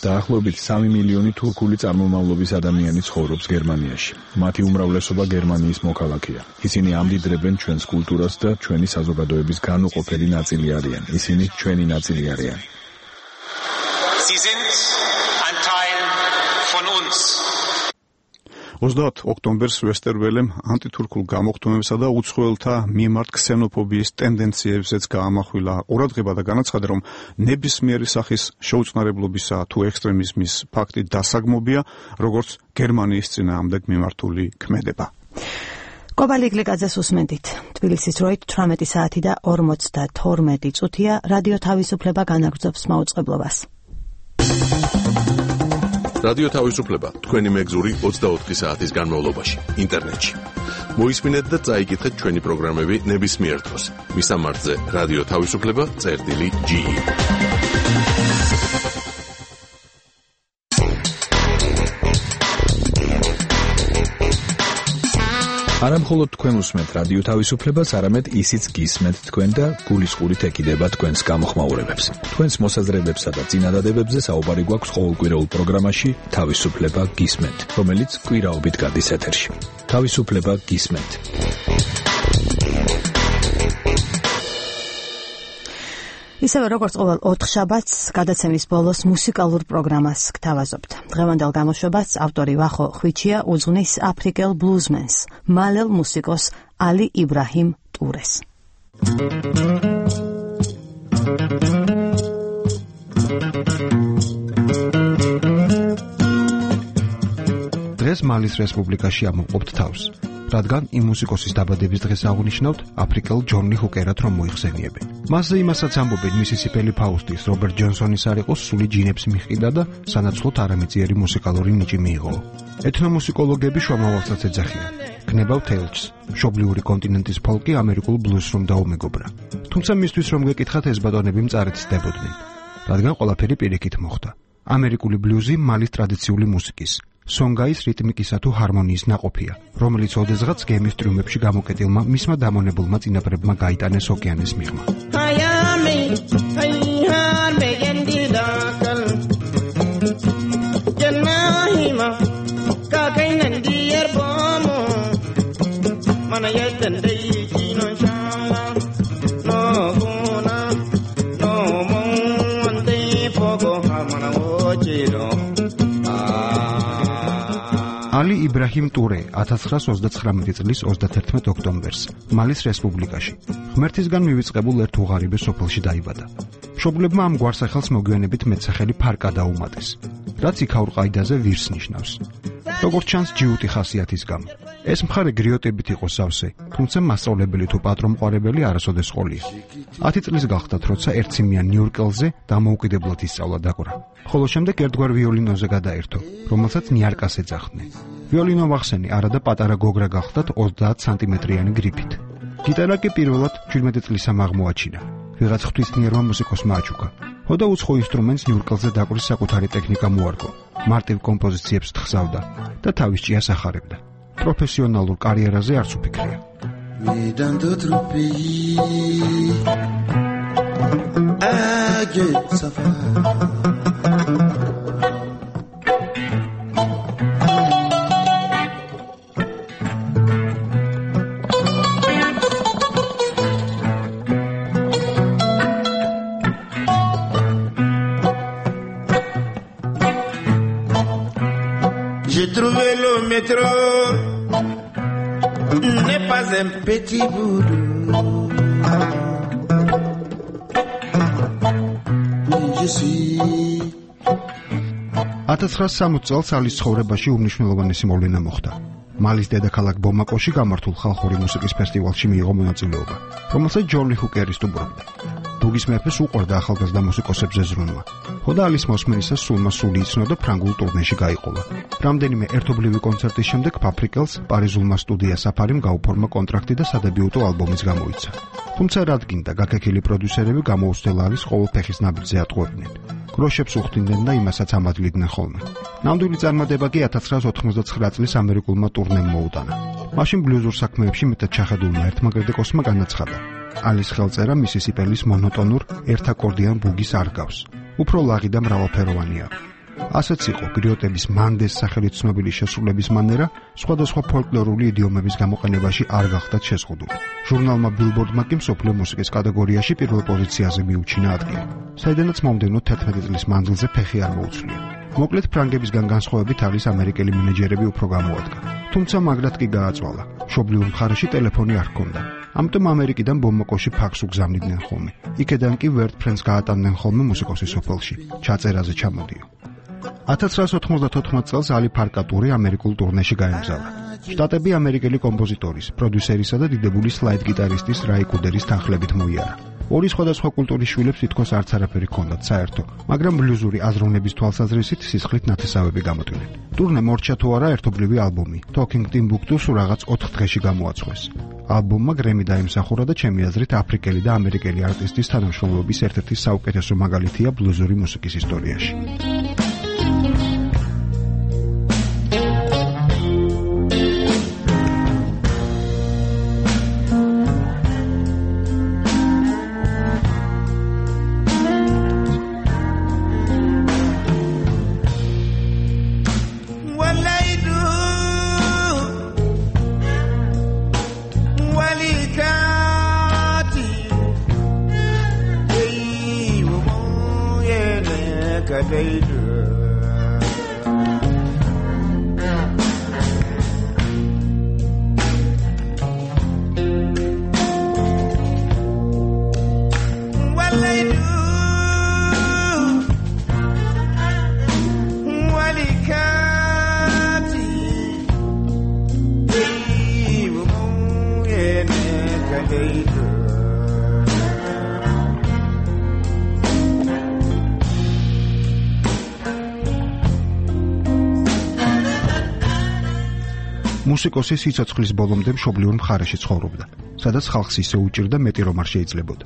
დაახლოებით 3 მილიონი თურქული წარმომავლობის ადამიანი ცხოვრობს გერმანიაში. მათი უმრავლესობა გერმანიის მოქალაქეა. ისინი ამდიდრებენ ჩვენს კულტურას და ჩვენი საზოგადოების განუყოფელი ნაწილი არიან. ისინი ჩვენი ნაწილი არიან. 30 ოქტომბერს ვესტერველემ ანტითურქულ გამოხდომებსა და უცხოელთა მიმართ ქსენოფობიის ტენდენციებზეც გაამახვილა ყურადღება და განაცხადა, რომ ნებისმიერი სახის შეუწყნარებლობისა თუ ექსტრემიზმის ფაქტი დასაგმობია, როგორც გერმანიის წინააღმდეგ მიმართული ქმედება. კობალი კლიკაძეს უსმენთ. თბილისის დროით 18 საათი და 52 წუთია. რადიო თავისუფლება განაგრძობს მაუწყებლობას. რადიო თავისუფლება თქვენი მეგზური 24 საათის განმავლობაში ინტერნეტში. მოისმინეთ და წაიკითხეთ ჩვენი პროგრამები ნებისმიერ დროს. მისამართზე რადიო თავისუფლება.ge. არა მხოლოდ თქვენ უსმენთ რადიო თავისუფლებას, არამედ ისიც გისმენთ თქვენ და გულისყურით ეკიდება თქვენს გამოხმაურებებს. თქვენს მოსაზრებებსა და წინადადებებზე საუბარი გვაქვს ყოველკვირეულ პროგრამაში თავისუფლება გისმენთ, რომელიც კვირაობით გადის ეთერში. თავისუფლება გისმენთ. ისევე როგორც ყოველ 4 შაბათს გადაცემის ბოლოს მუსიკალურ პროგრამას გთავაზობთ. დღევანდელ გამოშვებას ავტორი ვახო ხვიჩია უძღვნის აფრიკელ ბლუზმენს, მალელ მუსიკოს ალი იბრაჰიმ ტურეს. დღეს მალის რესპუბლიკაში ამოვყოფთ თავს, რადგან იმ მუსიკოსის დაბადების დღეს აღნიშნავთ აფრიკელ ჯონი ჰუკერად რომ მოიხსენიებენ. მასზე იმასაც ამბობენ მისისიპელი ფაუსტის რობერტ ჯონსონის არ იყოს სული ჯინებს მიჰყიდა და სანაცვლოდ არამიწიერი მუსიკალური ნიჭი მიიღო. ეთნომუსიკოლოგები შუამავალსაც ეძახიან. ქნებავ თელჩს, მშობლიური კონტინენტის ფოლკი ამერიკულ ბლუზს რომ დაუმეგობრა. თუმცა მისთვის რომ გეკითხათ ეს ბატონები მწარედ ცდებოდნენ, რადგან ყველაფერი პირიქით მოხდა. ამერიკული ბლუზი მალის ტრადიციული მუსიკის, სონგაის რიტმიკისა თუ ჰარმონიის ნაყოფია, რომელიც ოდესღაც გემის ტრიუმფებში გამოკეტილმა მისმა დამონებულმა წინაპრებმა გაიტანეს ოკეანის მიღმა. ალი იბრაჰიმ ტურე 1939 წლის 31 ოქტომბერს მალის რესპუბლიკაში ღმერთისგან მივიწყებულ ერთ უღარიბე სოფელში დაიბადა. მშობლებმა ამ გვარსახელს მოგვიანებით მეტსახელი ფარკა დაუმატეს, რაც იქაურ ყაიდაზე ვირს ნიშნავს. როგორც ჩანს ჯიუტი ხასიათის გამო. ეს მხარე გრიოტებით იყო სავსე, თუმცა მასწავლებელი თუ პატრონმყარებელი არასოდეს ყოლია. 10 წლის გახდათ, როცა ერთციმიან ნიუ-იორკელზე დამოუკიდებლად ისწავლა დაკვრა. ხოლო შემდეგ ერთგვარ ვიოლინოზე გადაერთო, რომელსაც ნიარკას ეძახდნენ. ვიოლინო ვახსენი არადა პატარა გოგრა გახდათ 30 სანტიმეტრიანი გრიფით. გიტარა კი პირველად 17 წლისამ აღმოაჩინა. ვიღაც ღვთისმიერმა მუსიკოსმა აჩუქა. ხოდა უცხო ინსტრუმენტს ნიუ-იორკელზე დაკვრის საკუთარი ტექნიკა მოარგო. მარტივ კომპოზიციებს თხზავდა და თავის ჭიას ახარებდა. პროფესიონალურ კარიერაზე არც უფიქრია. J'ai trouvé le métro, n'est pas un petit boulot. Je suis 1960 წელს ალის ცხოვრებაში უმნიშვნელოვანესი მოვლენა მოხდა. მალის დედაქალაქ ბომაკოში გამართულ ხალხური მუსიკის ფესტივალში მიიღო მონაწილეობა, რომელსაც ჯონი ჰუკერი სტუმრობდა. ბუგის მეფეს უყვარდა ახალგაზრდა მუსიკოსებზე ზრუნვა. ხოდა ალის მოსმენისას სული იცნო და ფრანგულ ტურნეში გაიყოლა. რამდენიმე ერთობლივი კონცერტის შემდეგ ფაბრიკელს პარიზულმა სტუდია საფარიმ გაუფორმა კონტრაქტი და სადებიუტო ალბომიც გამოიცა. თუმცა რადგინდა გაქექილი პროდიუსერები გამოუცდელ ალის ყოველ ფეხის ნაბიჯზე ატყუებდნენ. გროშებს უხდიდნენ და იმასაც ამადლიდნენ ხოლმე. ნამდვილი წარმატება კი 1989 წლის ამერიკულმა ტურნემ მოუტანა. მაშინ ბლუზურ საქმეებში მეტად ჩახედულმა ერთმა კრიტიკოსმა განაცხადა: ალის ხელწერა მისისიპელის მონოტონურ ერთაკორდიან ბუგის არ გავს. უფრო ლაღი და მრავალფეროვანია. ასეც იყო გრიოტების მანდეს სახელით ცნობილი შესრულების მანერა, სხვადასხვა ფოლკლორული იდიომების გამოყენებაში არ გახდათ შეზღუდული. ჟურნალმა ბილბორდმა კი მსოფლიო მუსიკის კატეგორიაში პირველ პოზიციაზე მიუჩინა ადგილი, საიდანაც მომდევნო 11 წლის მანძილზე ფეხი არ მოუწვია. მოკლედ ფრანგებისგან განსხვავებით არის ამერიკელი მენეჯერები უფრო გამოადგა. თუმცა მაგრად კი გააწვალა. მშობლიურ მხარეში ტელეფონი არ ჰქონდა. ამიტომ ამერიკიდან ბომაკოში ფაქს უგზავნიდნენ ხოლმე. იქედან კი ვერტ ფრენს გაატანდნენ ხოლმე მუსიკოსის სოფელში, ჩაწერაზე ჩამოდიო. 1994 წელს ალი ფარკატური ამერიკულ ტურნეში გაემგზავრა. შტატები ამერიკელი კომპოზიტორის, პროდიუსერისა და დიდებული სლაიდ გიტარისტის რაი კუდერის თანხლებით მოიარა. ორი სხვადასხვა კულტურის შვილებს თითქოს არც არაფერი ჰქონდათ საერთო, მაგრამ ბლუზური აზროვნების თვალსაზრისით სისხლით ნათესავები გამოტვნენ. ტურნე მორჩა თუ არა ერთობლივი ალბომი, Talking Timbuktu რაღაც 4 დღეში გამოაწყვეს. ალბომმა გრემი დაიმსახურა და ჩემი აზრით აფრიკელი და ამერიკელი არტისტის თანამშრომლობის ერთ-ერთი საუკეთესო მაგალითია ბლუზური მუსიკის ისტორიაში. მუსიკოსი სიცოცხლის ბოლომდე მშობლიურ მხარეში ცხოვრობდა, სადაც ხალხს ისე უჭირდა მეტი რომ არ შეიძლებოდა.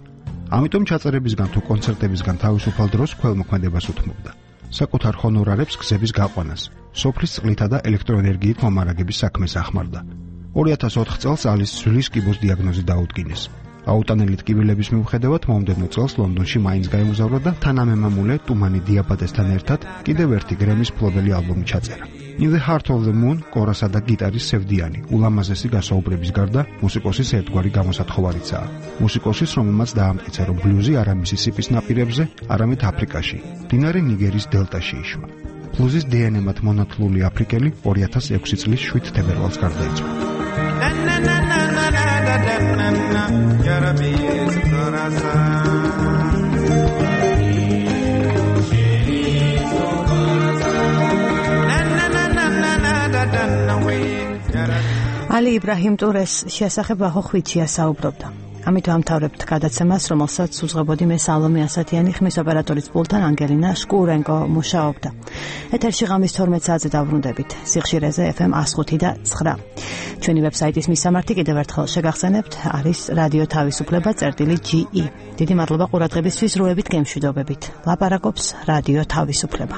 ამიტომ ჩაწერებისგან თუ კონცერტებისგან თავისუფალ დროს ქველმოქმედებას უთმობდა. საკუთარ ჰონორარებს გზების გაყვანას, სოფლის წყლითა და ელექტროენერგიით მომარაგების საქმეს ახმარდა. 2004 წელს ალის ძვლის კიბოს დიაგნოზი დაუდგინეს. აუტანელი ტკივილების მიუხედავად მომდევნო წელს ლონდონში მაინც გაემგზავრა და თანამემამულე ტუმანი დიაბატესთან ერთად კიდევ ერთი გრემის მფლობელი ალბომი ჩაწერა. In the Heart of the Moon კორასა და გიტარის სევდიანი, ულამაზესი გასაუბრების გარდა მუსიკოსის ერთგვარი გამოსათხოვარიცაა. მუსიკოსის, რომელმაც დაამტკიცა, რომ ბლუზი არა მისისიპის ნაპირებზე, არამედ აფრიკაში, მდინარე ნიგერის დელტაში იშვა. ბლუზის დნმ-ად მონათლული აფრიკელი 2006 წლის 7 თებერვალს გარდაიცვალა. ალი იბრაჰიმ ტურეს შესახებ ვახო ხვიჩია საუბრობდა. ამით ვამთავრებთ გადაცემას, რომელსაც უძღვებოდი მე სალომე ასათიანი, ხმის ოპერატორის პულტთან ანგელინა შკურენკო მუშაობდა. ეთერში ღამის 12 საათზე დავბრუნდებით. სიხშირეზე FM 105.9. ჩვენი ვებსაიტის მისამართი კიდევ ერთხელ შეგახსენებთ, არის რადიო თავისუფლება.ge. დიდი მადლობა ყურადღებისთვის, როებით გემშვიდობებით. ლაპარაკობს რადიო თავისუფლება.